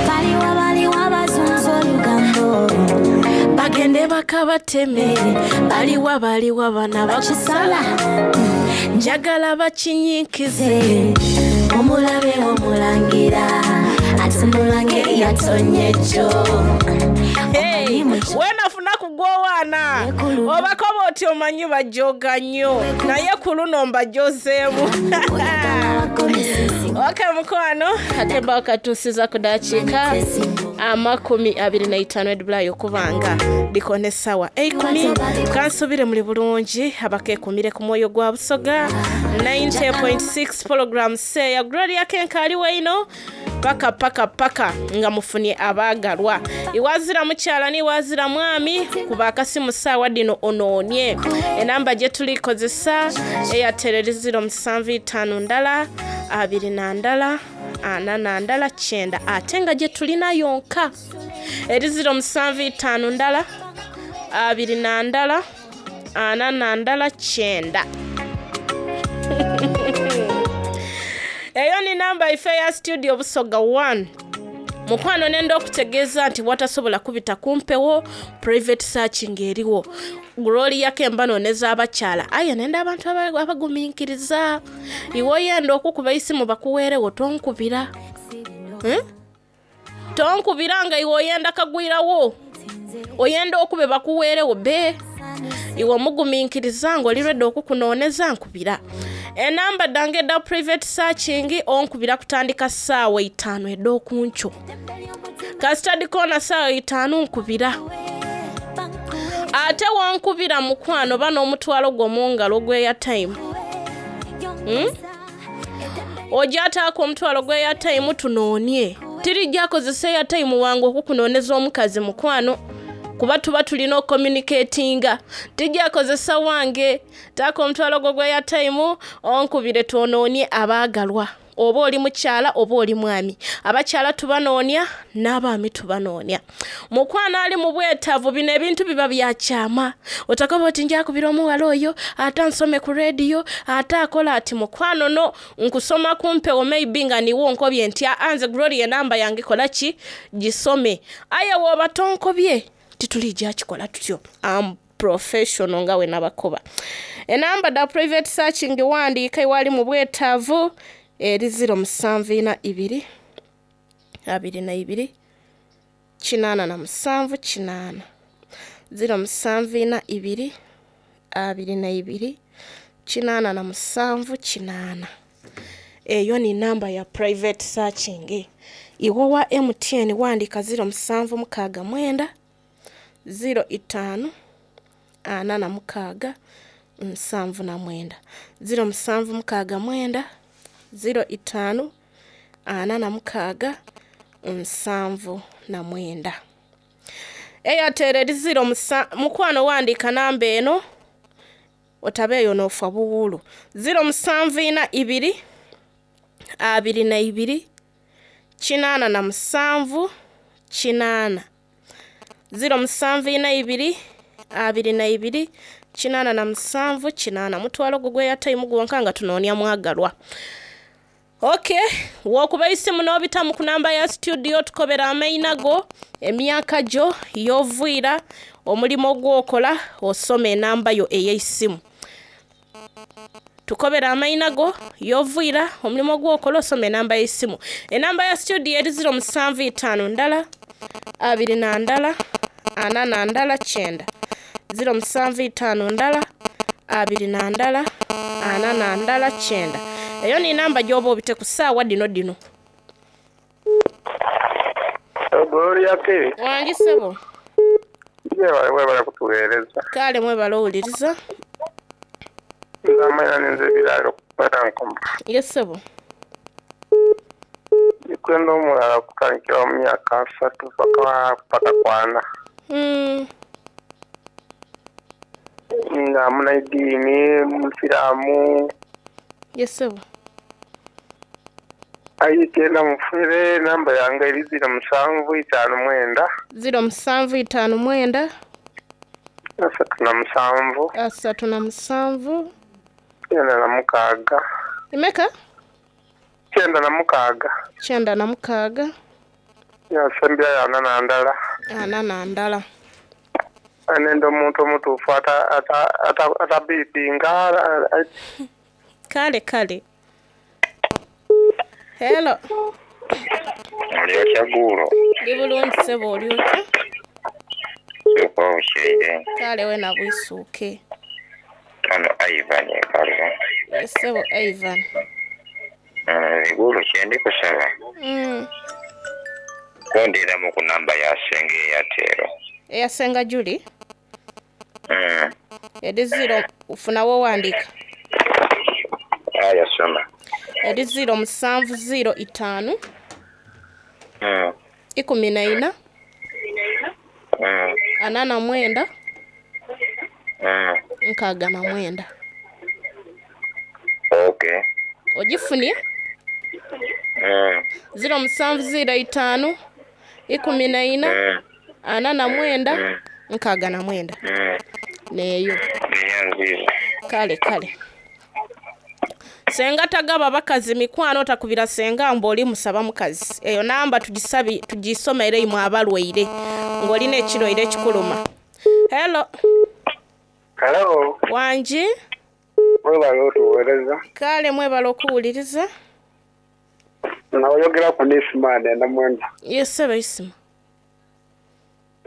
Baliwa baliwa bazunza olugambo. Bagende bakabateme. Baliwa baliwa bana Bakisala. Njagala bakinyikize. Omulabe omulangira atunula ng'eyatonye jjo. Hey, wenafuna kugwowaana obakoba oti omanyi bajoga nnyo, naye ku luno mbajozeemu. Ok mukwano, ate mba wakatuusiza ku dakiika 25 edibulayo okubanga dikona essaawa 10. Kansubire muli bulungi abakeekumire ku mwoyo gwa Busoga 90.6 program seya Gloria Kenka ali weino paka paka paka nga mufunye abaagalwa. Iwazira mukyala niwazira mwami, kuba akasimu saawa dino onoonye enamba gye tulikozesa Airtel eri 075 ndala 2 ndala 4 ndala 9, ate nga gye tulina yonka eri 075 ndala 2 ndala 4 ndala 9. Eyo ni namba ife ya studio Busoga 1. Mukwano, nenda okutegeeza nti watasobola kubita kumpewo, private searching eriwo. Gloria Kemba nooneza abakyala, aye nenda abantu abagumiikiriza. Iwe oyenda okukuba isimu bakuweerewo, tonkubira. Tonkubira nga iwe oyenda kagwirawo, oyenda okube bakuweerewo be. Iwe omugumiikiriza ng'oli ready okukunooneza, nkubira. Enamba dange eda private searching, onkubira kutandika ssaawa 5 ed'okunkyo. Kasita dikoona ssaawa 5 nkubira. Ate wonkubira mukwano, ba n'omutwalo gwo mu ngalo gw'airtime. Ojja ataako omutwalo gw'airtime tunoonye. Tirijja akozesa airtime wange okukunooneza omukazi mukwano, kuba tuba tulina ocommunicatinga. Tijja akozesa wange. Taako omutwalo gwo gw'airtime onkubire twonoonye abaagalwa. Oba oli mukyala oba oli mwami, abakyala tubanoonya n'abaami tubanoonya. Mukwano ali mu bwetaavu, bino ebintu biba bya kyama. Otakoba oti njakubira omuwala oyo ate ansome ku rediyo ate akola ati. Mukwano, no nkusoma kumpewo, maybe nga niwo nkobye nti anze Gloria enamba yange kola ki gisome, aye woba tonkobye titulijja kikola tutyo. Am professional nga we nabakoba. Enamba da private searching, wandiika iwali mu bwetaavu, eri 0742 22 87 8, 0742 22 87 8. Eyo ni namba ya private searching. Iwe wa MTN wandika 0769 05 46 79, 0769 05 46 79. Airtel eri 0 mukwano wandika namba eno otabeeyo n'ofa buwuulu, 0742 22 87 8, 0742 22 87 8. Mutwalo gwo gw'airtime gwonka nga tunoonya mwagalwa. Ok, wokuba isimu n'obitamu ku namba ya studio, tukobera amaina go, emyaka gyo, y'oviira, omulimu gwokola, osoma enamba yo ey'eisimu. Tukobera amaina go, y'oviira, omulimu gwokola, osoma enamba y'eisimu. Enamba ya studio eri 075 ndala 2 ndala 4 ndala 9, 075 ndala 2 ndala 4 ndala 9. Eyo ni namba gy'oba obite ku ssaawa dino dino. Gloria K. Wangi ssebo. Yebale, webale kutuweereza. Kale mwebale owuliriza. Nze amanya ninze Ebiralo kukwera Nkoma. Ye ssebo. Ndikwenda omulala kutandikira mu myaka 30 paka 40. Nga munaidiini, musiraamu. Ye ssebo. Aye genda mufere, namba yange eri 0759. 0759. 37. 37. 96. Imeka? 96. 96. Yasembyayo 41. 41. Nenda omuntu omutuufu atabipinga. Kale kale. Hello. Oli otya gulo? Ndi bulungi ssebo, oli otya? Suuka obukyeire. Kale wena bwisuuke. Ono Ivan Ekalu. Ssebo Ivan. Gulo kyendi kusaba. Kundiramu ku namba ya Senga Airtel. Eya Senga Julie? Eri 0 ofuna w'owandiika. Aya soma. Eri 0 musanvu 0 itaanu. 14. 49. 69. Okay. Ogifunye? 0 musanvu 0 itaanu 14 49 69. Neeyo. Kale kale. Senga tagaba bakazi mikwano, takubira senga mbu oli musaba mukazi. Eyo namba tugisabi tugisomere imwe abalwaire ng'olina ekirwaire ekikuluma. Hello. Hello. Wangi? Mwebale otuweereza. Kale mwebale okuwuliriza. Naoyogera ku Nisima nenda mwenda. Yes sebo Isima.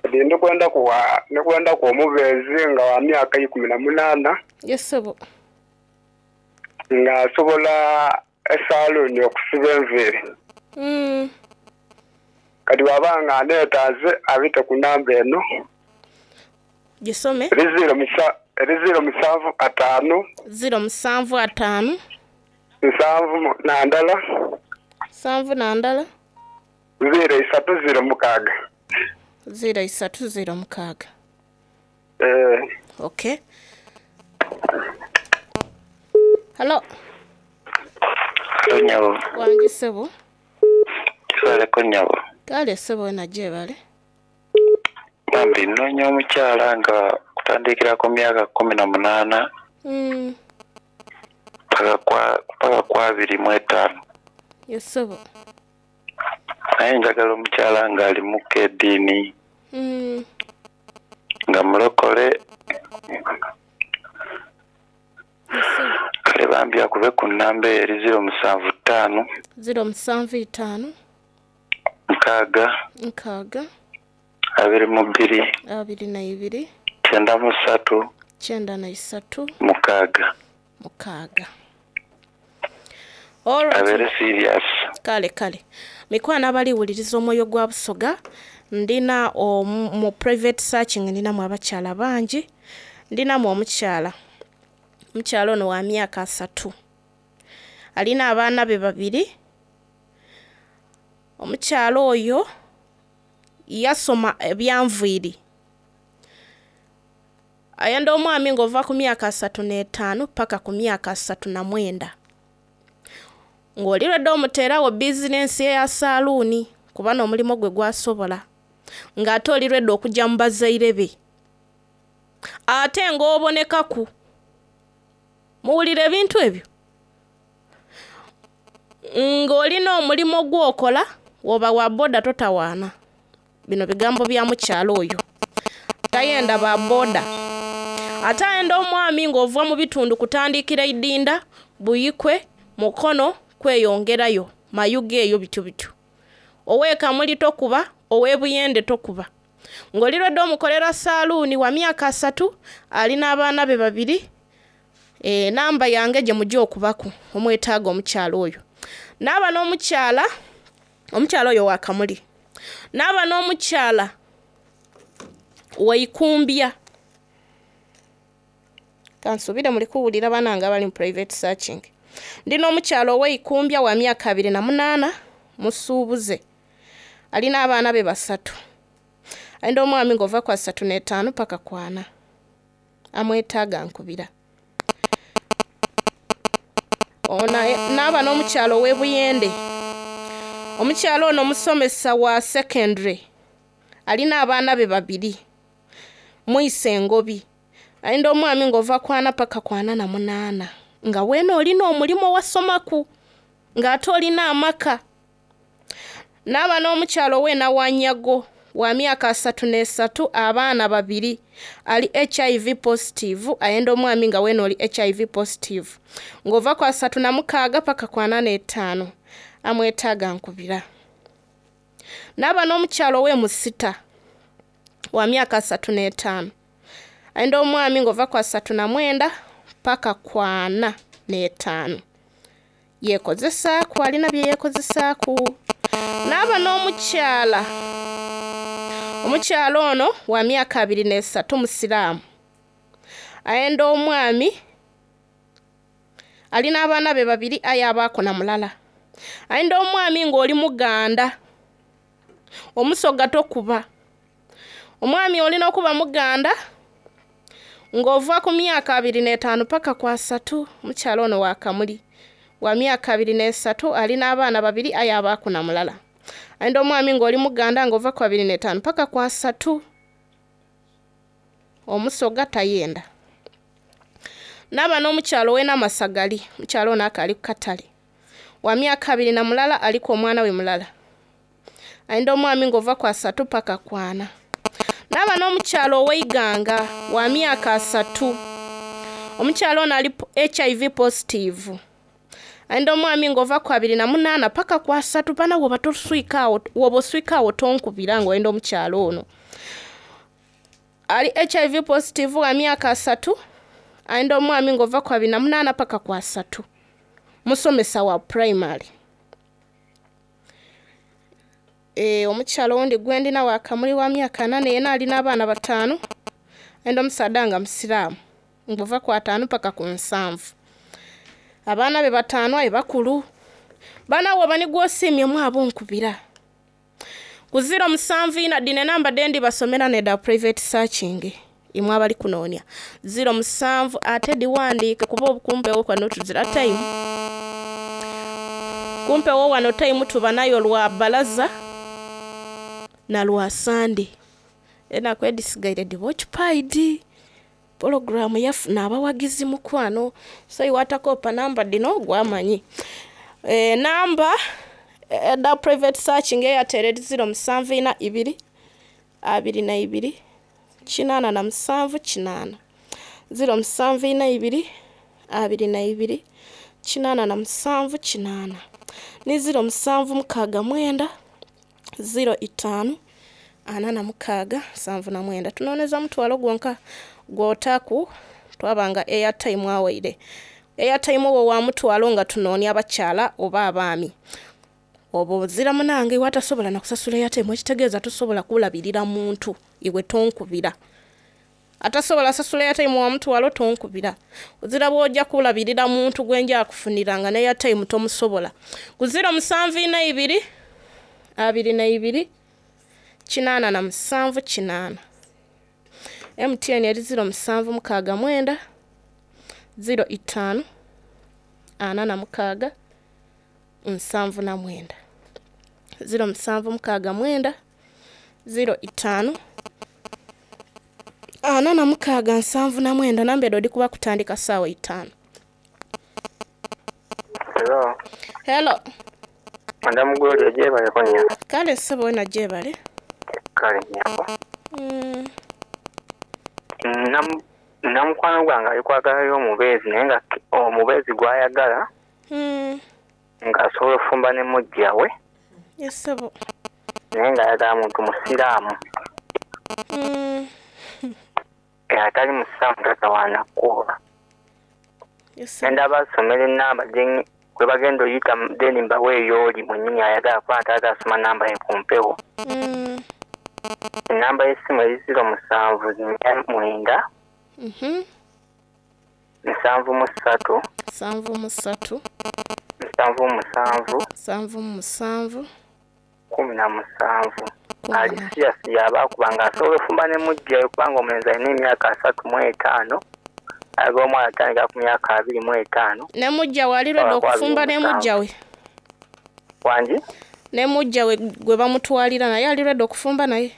Ndikwenda kuwa ndikwenda ku omubeezi nga wa myaka 18. Yes sebo. Nga asobola esaluuni okusiba enviiri. Kati bw'aba nga aneetaaze abite ku namba eno. Gisome. Eri 0 7 5. 0 7 5. 71. 71. 0 3 0 6. 0 3 0 6. Okay. Hello. Hello nyabo. Wangi ssebo. Kibaleko nyabo. Kale ssebo wena gyebale. Bambi nnoonya omukyala nga kutandikira ku myaka 18 paka ku 25. Yes ssebo. Naye njagala omukyala ng'alimuko eddiini. Nga mulokole. Kale bambi akube ku nnamba eri 0 7 5. 0 7 5. 6. 6. 22. 22. 93. 93. 6. 6. Alright. Abeere serious. Kale kale. Mikwano abaliwuliriza omwoyo gwa Busoga, ndina mu private searching ndinamu abakyala bangi. Ndinamu omukyala. Omukyala ono wa myaka 30. Alina abaana be 2. Omukyala oyo yasoma ebyanviiri. Ayenda omwami ng'ova ku myaka 35 paka ku myaka 39. Ng'oli lwedde omuteerawo bizinensi eya saaluuni kuba n'omulimu gwe gwasobola. Ng'ate oli lwedde okujja mu bazaire be. Ate ng'obonekaku. Muwulira ebintu ebyo? Ng'olina omulimu gw'okola, woba wa boda totawaana. Bino bigambo bya mukyala oyo. Tayenda ba boda. Ate ayenda omwami ng'ova mu bitundu kutandikira Idinda, Buyikwe, Mukono, kweyongerayo, Mayuge eyo bityo bityo. Ow'e Kamuli tokuba, ow'e Buyende tokuba. Ng'oli lwedde omukolera saaluuni wa myaka 30, alina abaana be 2. Namba yange gye mujja okubaku omwetaaga omukyala oyo. Naaba n'omukyala, omukyala oyo wa Kamuli. Naaba n'omukyala Waikumbya. Kansuubire muli kuwulira banange abali mu private searching. Ndi n'omukyala ow'Eikumbya wa myaka 28, musuubuze. Alina abaana be 3. Ayenda omwami ng'ova ku 35 paka ku 40. Amwetaaga nkubira. Naaba n'omukyala ow'e Buyende. Omukyala ono musomesa wa secondary. Alina abaana be 2. Muyise engobi. Ayenda omwami ng'ova ku 40 paka ku 48. Nga weena olina omulimu owasomaku. Ng'ate olina amaka. Naaba n'omukyala ow'enawanyago wa myaka 33, abaana 2, ali HIV positive, ayenda omwami nga weena oli HIV positive. Ng'ova ku 36 paka ku 45, amwetaaga nkubira. Naaba n'omukyala ow'emusita wa myaka 35, ayenda omwami ng'ova ku 39 paka ku 45. Yeekozesaaku, alina bye yeekozesaaku. Naaba n'omukyala, omukyala ono wa myaka 23, musiraamu, ayenda omwami alina abaana be 2 aye abaako na mulala. Ayenda omwami ng'oli muganda, omusoga tokuba. Omwami olina okuba muganda ng'ova ku myaka 25 paka ku 30. Omukyala ono wa Kamuli wa myaka 23, alina abaana 2 aye abaako na mulala. Ayenda omwami ng'oli muganda ng'ova ku 25 paka ku 30. Omusoga tayenda. Naaba n'omukyalo ow'enamasagali, omukyalo ono akaali ku katale, wa myaka 21, aliku omwana we mulala. Ayenda omwami ng'ova ku 30 paka ku 40. Naaba n'omukyalo ow'eiganga wa myaka 30. Omukyalo ono ali HIV positive. Ayenda omwami ng'ova ku 28 paka ku 30. Bana woba toswikaawo, woba oswikaawo tonkubira ng'oyenda omukyalo ono. Ali HIV positive wa myaka 30. Ayenda omwami ng'ova ku 28 paka ku 30. Musomesa wa primary. Omukyalo owundi gwendina wa Kamuli wa myaka 4, yena alina abaana 5. Ayenda omusaadha nga musiraamu ng'ova ku 50 paka ku 70. Abaana be 5 aye bakulu. Baana woba ni gw'osiimye abo nkubira. Ku 074, dhino enamba dhendi basomera neda private searching, imwe abali kunoonya. 07 ate diwandiike kuba obukumpewo kwano tuzira time. Kumpewo wano time tuba nayo lwa balaza na lwa Sande. Enaku edisigaire diba occupied. Pologulaamu yafuna abawagizi mukwano. So iwatakopa namba dino gwamanyi. Namba eda private searching Airtel eri 074 22 87 8. 074 22 87 8. Ni 0769 05 46 79. Tunooneza mutwalo gwonka gw'otaaku twabanga airtime awaire. Airtime owo wa mutwalo nga tunoonia abakyala oba abaami. Oba ozira munange iwe atasobola na kusasula airtime, ekitegeeza tosobola kulabirira muntu iwe tonkubira. Atasobola sasula airtime wa mutwalo tonkubira. Ozira bw'ojja kulabirira muntu gwe nja kufuniranga ne airtime tomusobola. Ku 074 22 87 8. MTN eri 0769 05 46 79. 0769 05 46 79. Namba edo dikuba kutandika saawa 5. Hello. Hello. Madamu Gloria gyebale konya. Kale ssebo wena gyebale. Kale nyabo. Namukwano gwange ali kwagalayo omubeezi, naye nga omubeezi gw'ayagala ng'asobola ofumba ne mujja we. Yes ssebo. Naye ng'ayagala muntu musiraamu. Atali musiraamu tatawaana kuba. Yes ssebo. Ngenda basomera ennamba kwe bagenda oyita then mbaweeyo oli mwennyini ayagala kuba taata asoma namba ye ku mpewo. Ennamba y'essimu eri 0749 73 73 77 77 17. Ali siyasi yaba kubanga asobola ofumba ne mujjayo kubanga omulenzi alina emyaka 35, ayagala omwana atandika ku myaka 25. Ne mujja we ali lwedde okufumba ne mujja we. Wangi? Ne mujja we gwe bamutwalira naye ali lwedde okufumba naye.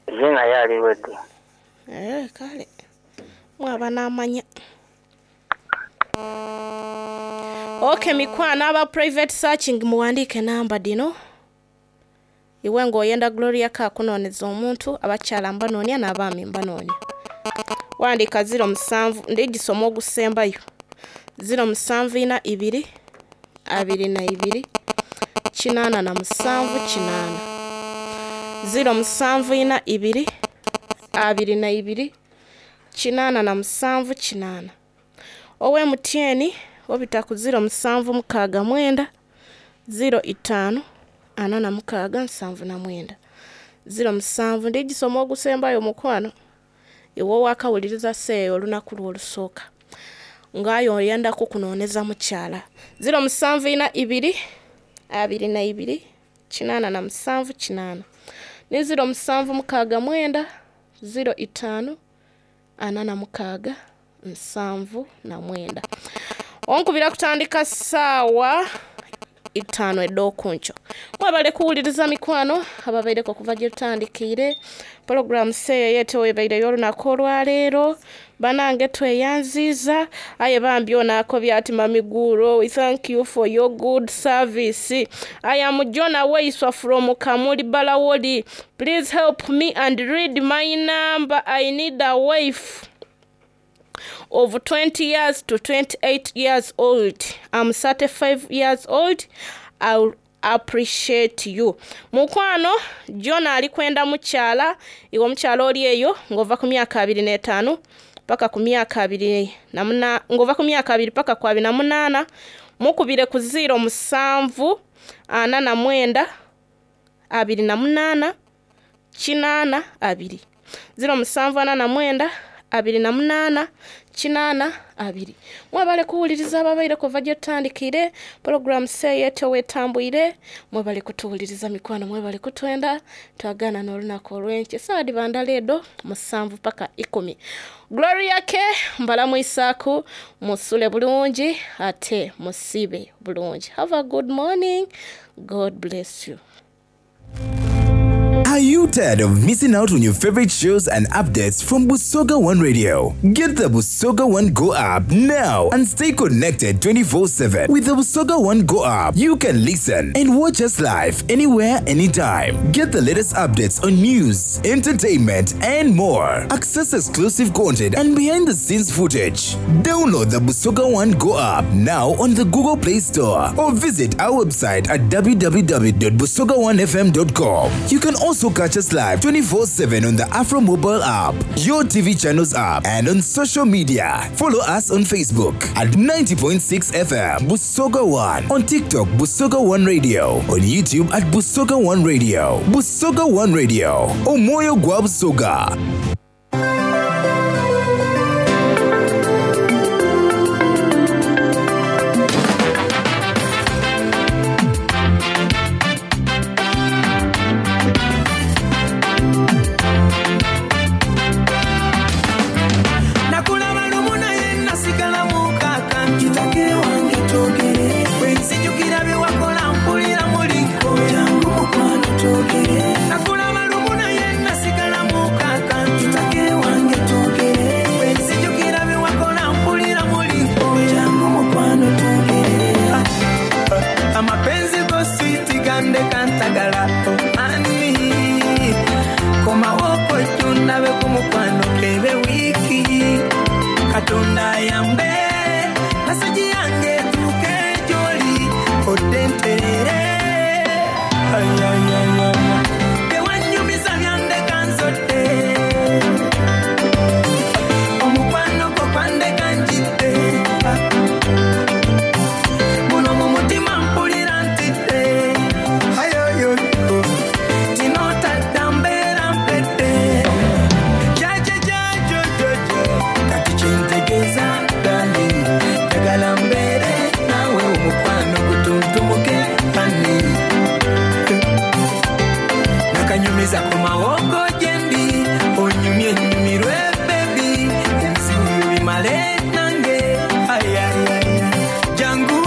Ye naye ali lwedde. Kale mwaba n'amanya. Ok mikwano aba private searching muwandiike namba dino. Iwe ng'oyenda Gloria K akunooneza omuntu, abakyala mbanoonia n'abaami mbanoonia. Wandiika 07 ndigisoma ogusembayo. 074 2 22 87 8. 074 2 22 87 8. Owe MTN obita ku 0769 05 46 79. 07 ndigisoma ogusembayo mukwano. Iwe owakawuliriza seeyo olunaku lwo olusooka. Ng'aye oyenda kukunooneza mukyala. 074 2 22 87 8. Ni 0769 05 46 79. Onkubira kutandika ssaawa 5 ed'okunkyo. Mwebale kuwuliriza mikwano ababaireko okuva gye tutandikiire. Pulogulaamu seeyo yeetewo ebaireyo olunaku olwaleero. Banange tweyanziiza aye bambi ono akobye ati Mami Guro, we thank you for your good service. I am John Aweiswa from Kamuli Balawoli. Please help me and read my number. I need a wife of 20 years to 28 years old. I'm 35 years old. I'll appreciate you. Mukwano, John ali kwenda mukyala, iwe omukyala oli eyo ng'ova ku myaka 25 paka ku myaka 28, ng'ova ku myaka 2 paka ku 28, mukubire ku 07 49 28 82. 07 49 28 82. Mwebale kuwuliriza ababaire kuva gye tutandikire pulogulaamu seeyo wetambwire. Mwebale kutuwuliriza mikwano, mwebale kutwenda. Twagaana n'olunaku olw'enkya essaawa dhiba ndala edo 7 paka 10. Gloria K mbalamwisaaku, musule bulungi ate musibe bulungi. Have a good morning. God bless you. Are you tired of missing out on your favorite shows and updates from Busoga One Radio? Get the Busoga One Go app now and stay connected 24/7. With the Busoga One Go app, you can listen and watch us live anywhere, anytime. Get the latest updates on news, entertainment, and more. Access exclusive content and behind-the-scenes footage. Download the Busoga One Go app now on the Google Play Store or visit our website at www.busoga1fm.com. You can also catch us live 24/7 on the Afro Mobile app, your TV channels app, and on social media. Follow us on Facebook at 90.6 FM Busoga One, on TikTok Busoga One Radio, on YouTube at Busoga One Radio. Busoga One Radio, Omoyo gwa Busoga. Nakulaba lumu naye nasigala mukaka nkitake wange twogere bwe nzijukira bye wakola mpulira muliko jangu mukwano twogere nakulaba lumu naye nasigala mukaka nkitake wange twogere bwe nzijukira bye wakola mpulira muliko jangu mukwano twogere amapenzi go switi gandeka ntagala ani komawoko tundabe ku mukwano kebe wiiki Katonda ayambe meseji yange etuuke gy'oli odde nterere. Tewanyumiza byandeka nzodde omukwano gwo gwandeka njidde guno mu mutima mpulira ntidde ayoyo tinotadda mbeera mpedde jajajajojojo kati kyentegeeza darling njagala mbeere naawe omukwano gutuntumuke ani nakanyumiza ku mawoko gyendi onyumye nyumirwe bebi ebizibu bimale nange ayayaya jangu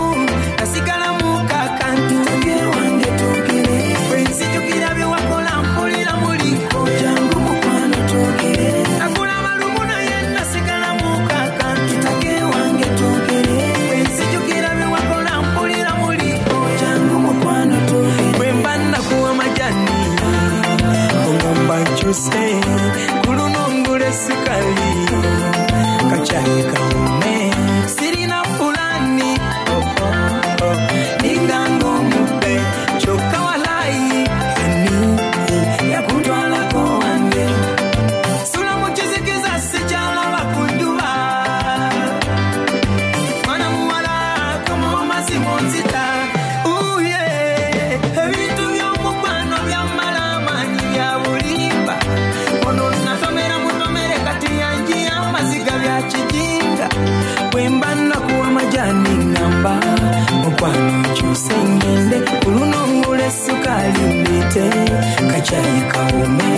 nasigala mukaka ntuge wange twogere bwe nzijukira bye wakola mpulira muliko jangu mukwano twogere nakulaba lumu naye nasigala mukaka ntutake wange twogere nkyuse ku luno ngula esukali kacyayi kawume sirina pulani oh, oh, oh. Ninganga omubbe kyokka walayi ani yakutwalako wange sula mu kizikiza sikyalaba ku njuba mwana muwala komawo mazima onzita uye ebintu by'omukwano byamala amaanyi bya bulimba ono natomera mutomere kati yanjiya amaziga bya kijinga bwe mba nakuwa majani ngamba mukwano nkyuse ngende ku luno ngula essukaali ndeete kacyayi kawume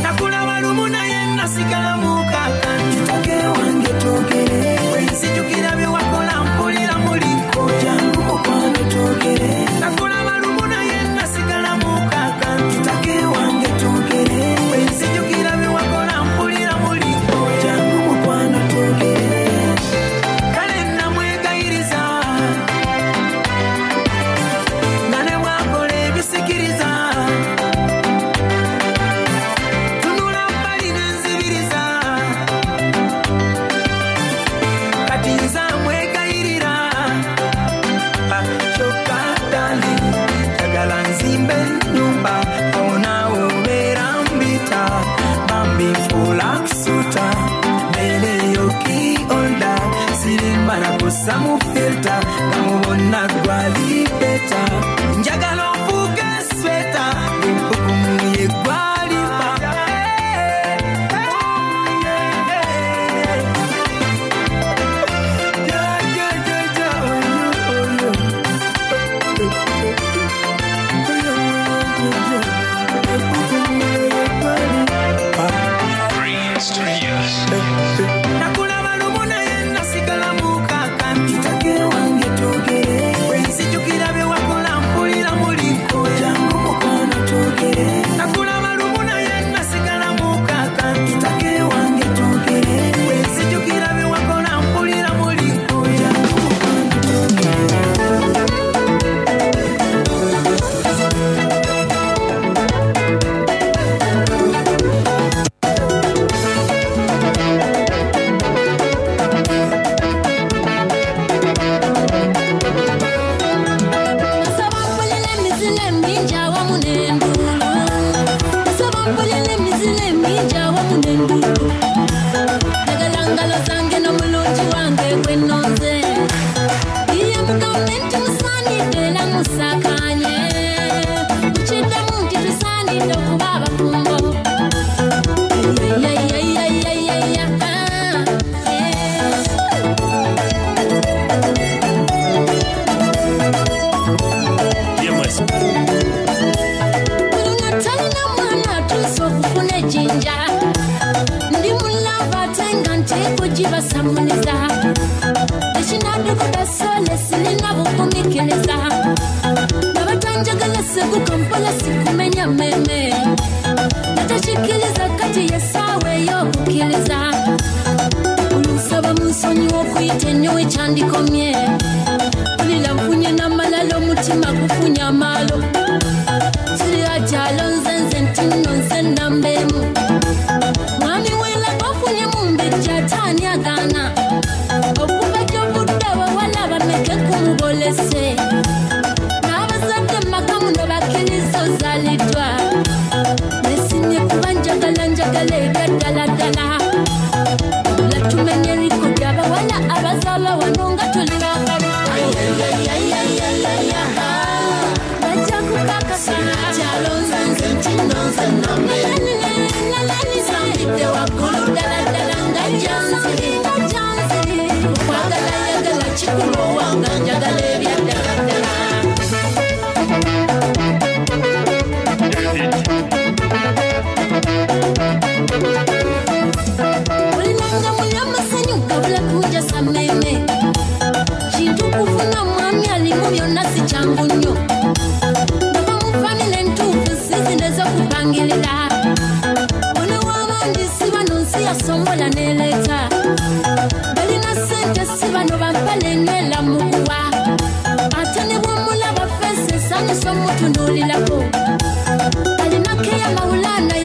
nakulaba lumu naye nasigala mukaka ntutake wange twogere bwenzijukira bye wakola mpulira muliko jangu mukwano twogere nakulaba lumu naye nasigala mukaka ntutake wange twogere bwenzijukira bye wakola mpulira muliko jangu mukwano twogere kale namwegayiriza nga ne bwakola ebisikiriza tunula bbali nenzibiriza kati nze amwegayirira kyokka dali njagala nzimbe ennyumba awo naawe obeera mbita bambi nfuula kusuta mbeereyo kiolda sirimba nakussa mu filta nga mubonna gwali beta njagala ofuuke sweta empukumu ye gwalimba Nakulaba lumu naye nasigala mukaka ntutake wange twogere bwenzijukira bye wakola mpulira muliko jangu mukwano twogere nakulaba lumu naye nasigala mukaka ntutake wange twogere bwenzijukira bye wakola mpulira muliko jangu mukwano twogere. Nsaba mpulira emizira emingi awamu n'enduulu. Nsaba mpulira emizira emingi awamu n'enduulu. Njagala ngalo zange n'omulungi wange gwe nnonze. Iye mugambe nti musaanidde era musakaanye. Mukiddemu nti tusaanidde okuba abafumbo. Yeyeyeyeyeyeye, ah, eh. Luno talina mwana atuuse okufuna ejjinja. Ndi mulava ate nga nteekugibasamuliza. Ekinadukuda sole sirina bugumiikiriza. Nabatanjagala seguka mpola sikumenya mmeme. Natakikiriza kati ye ssaawa ey'okukkiriza. Olunsaba munsonyiwa okuyita ennyo ekyandikomye. Mpulira nfunye n'amalala omutima gufunye amaalo. Sirira kyalo nze nze nti nno nze nnamba emu. Mwami w'elaga ofunye mumbejja ate ani agaana? Okuva gy'ovudde abawala bameke kumubolese. N'abazadde mu maka muno bakkiriza ozaaliddwa. Neesimye kuba njagala njagala ebya ddala ddala. Wabula tumenye likodi abawala abazaala wano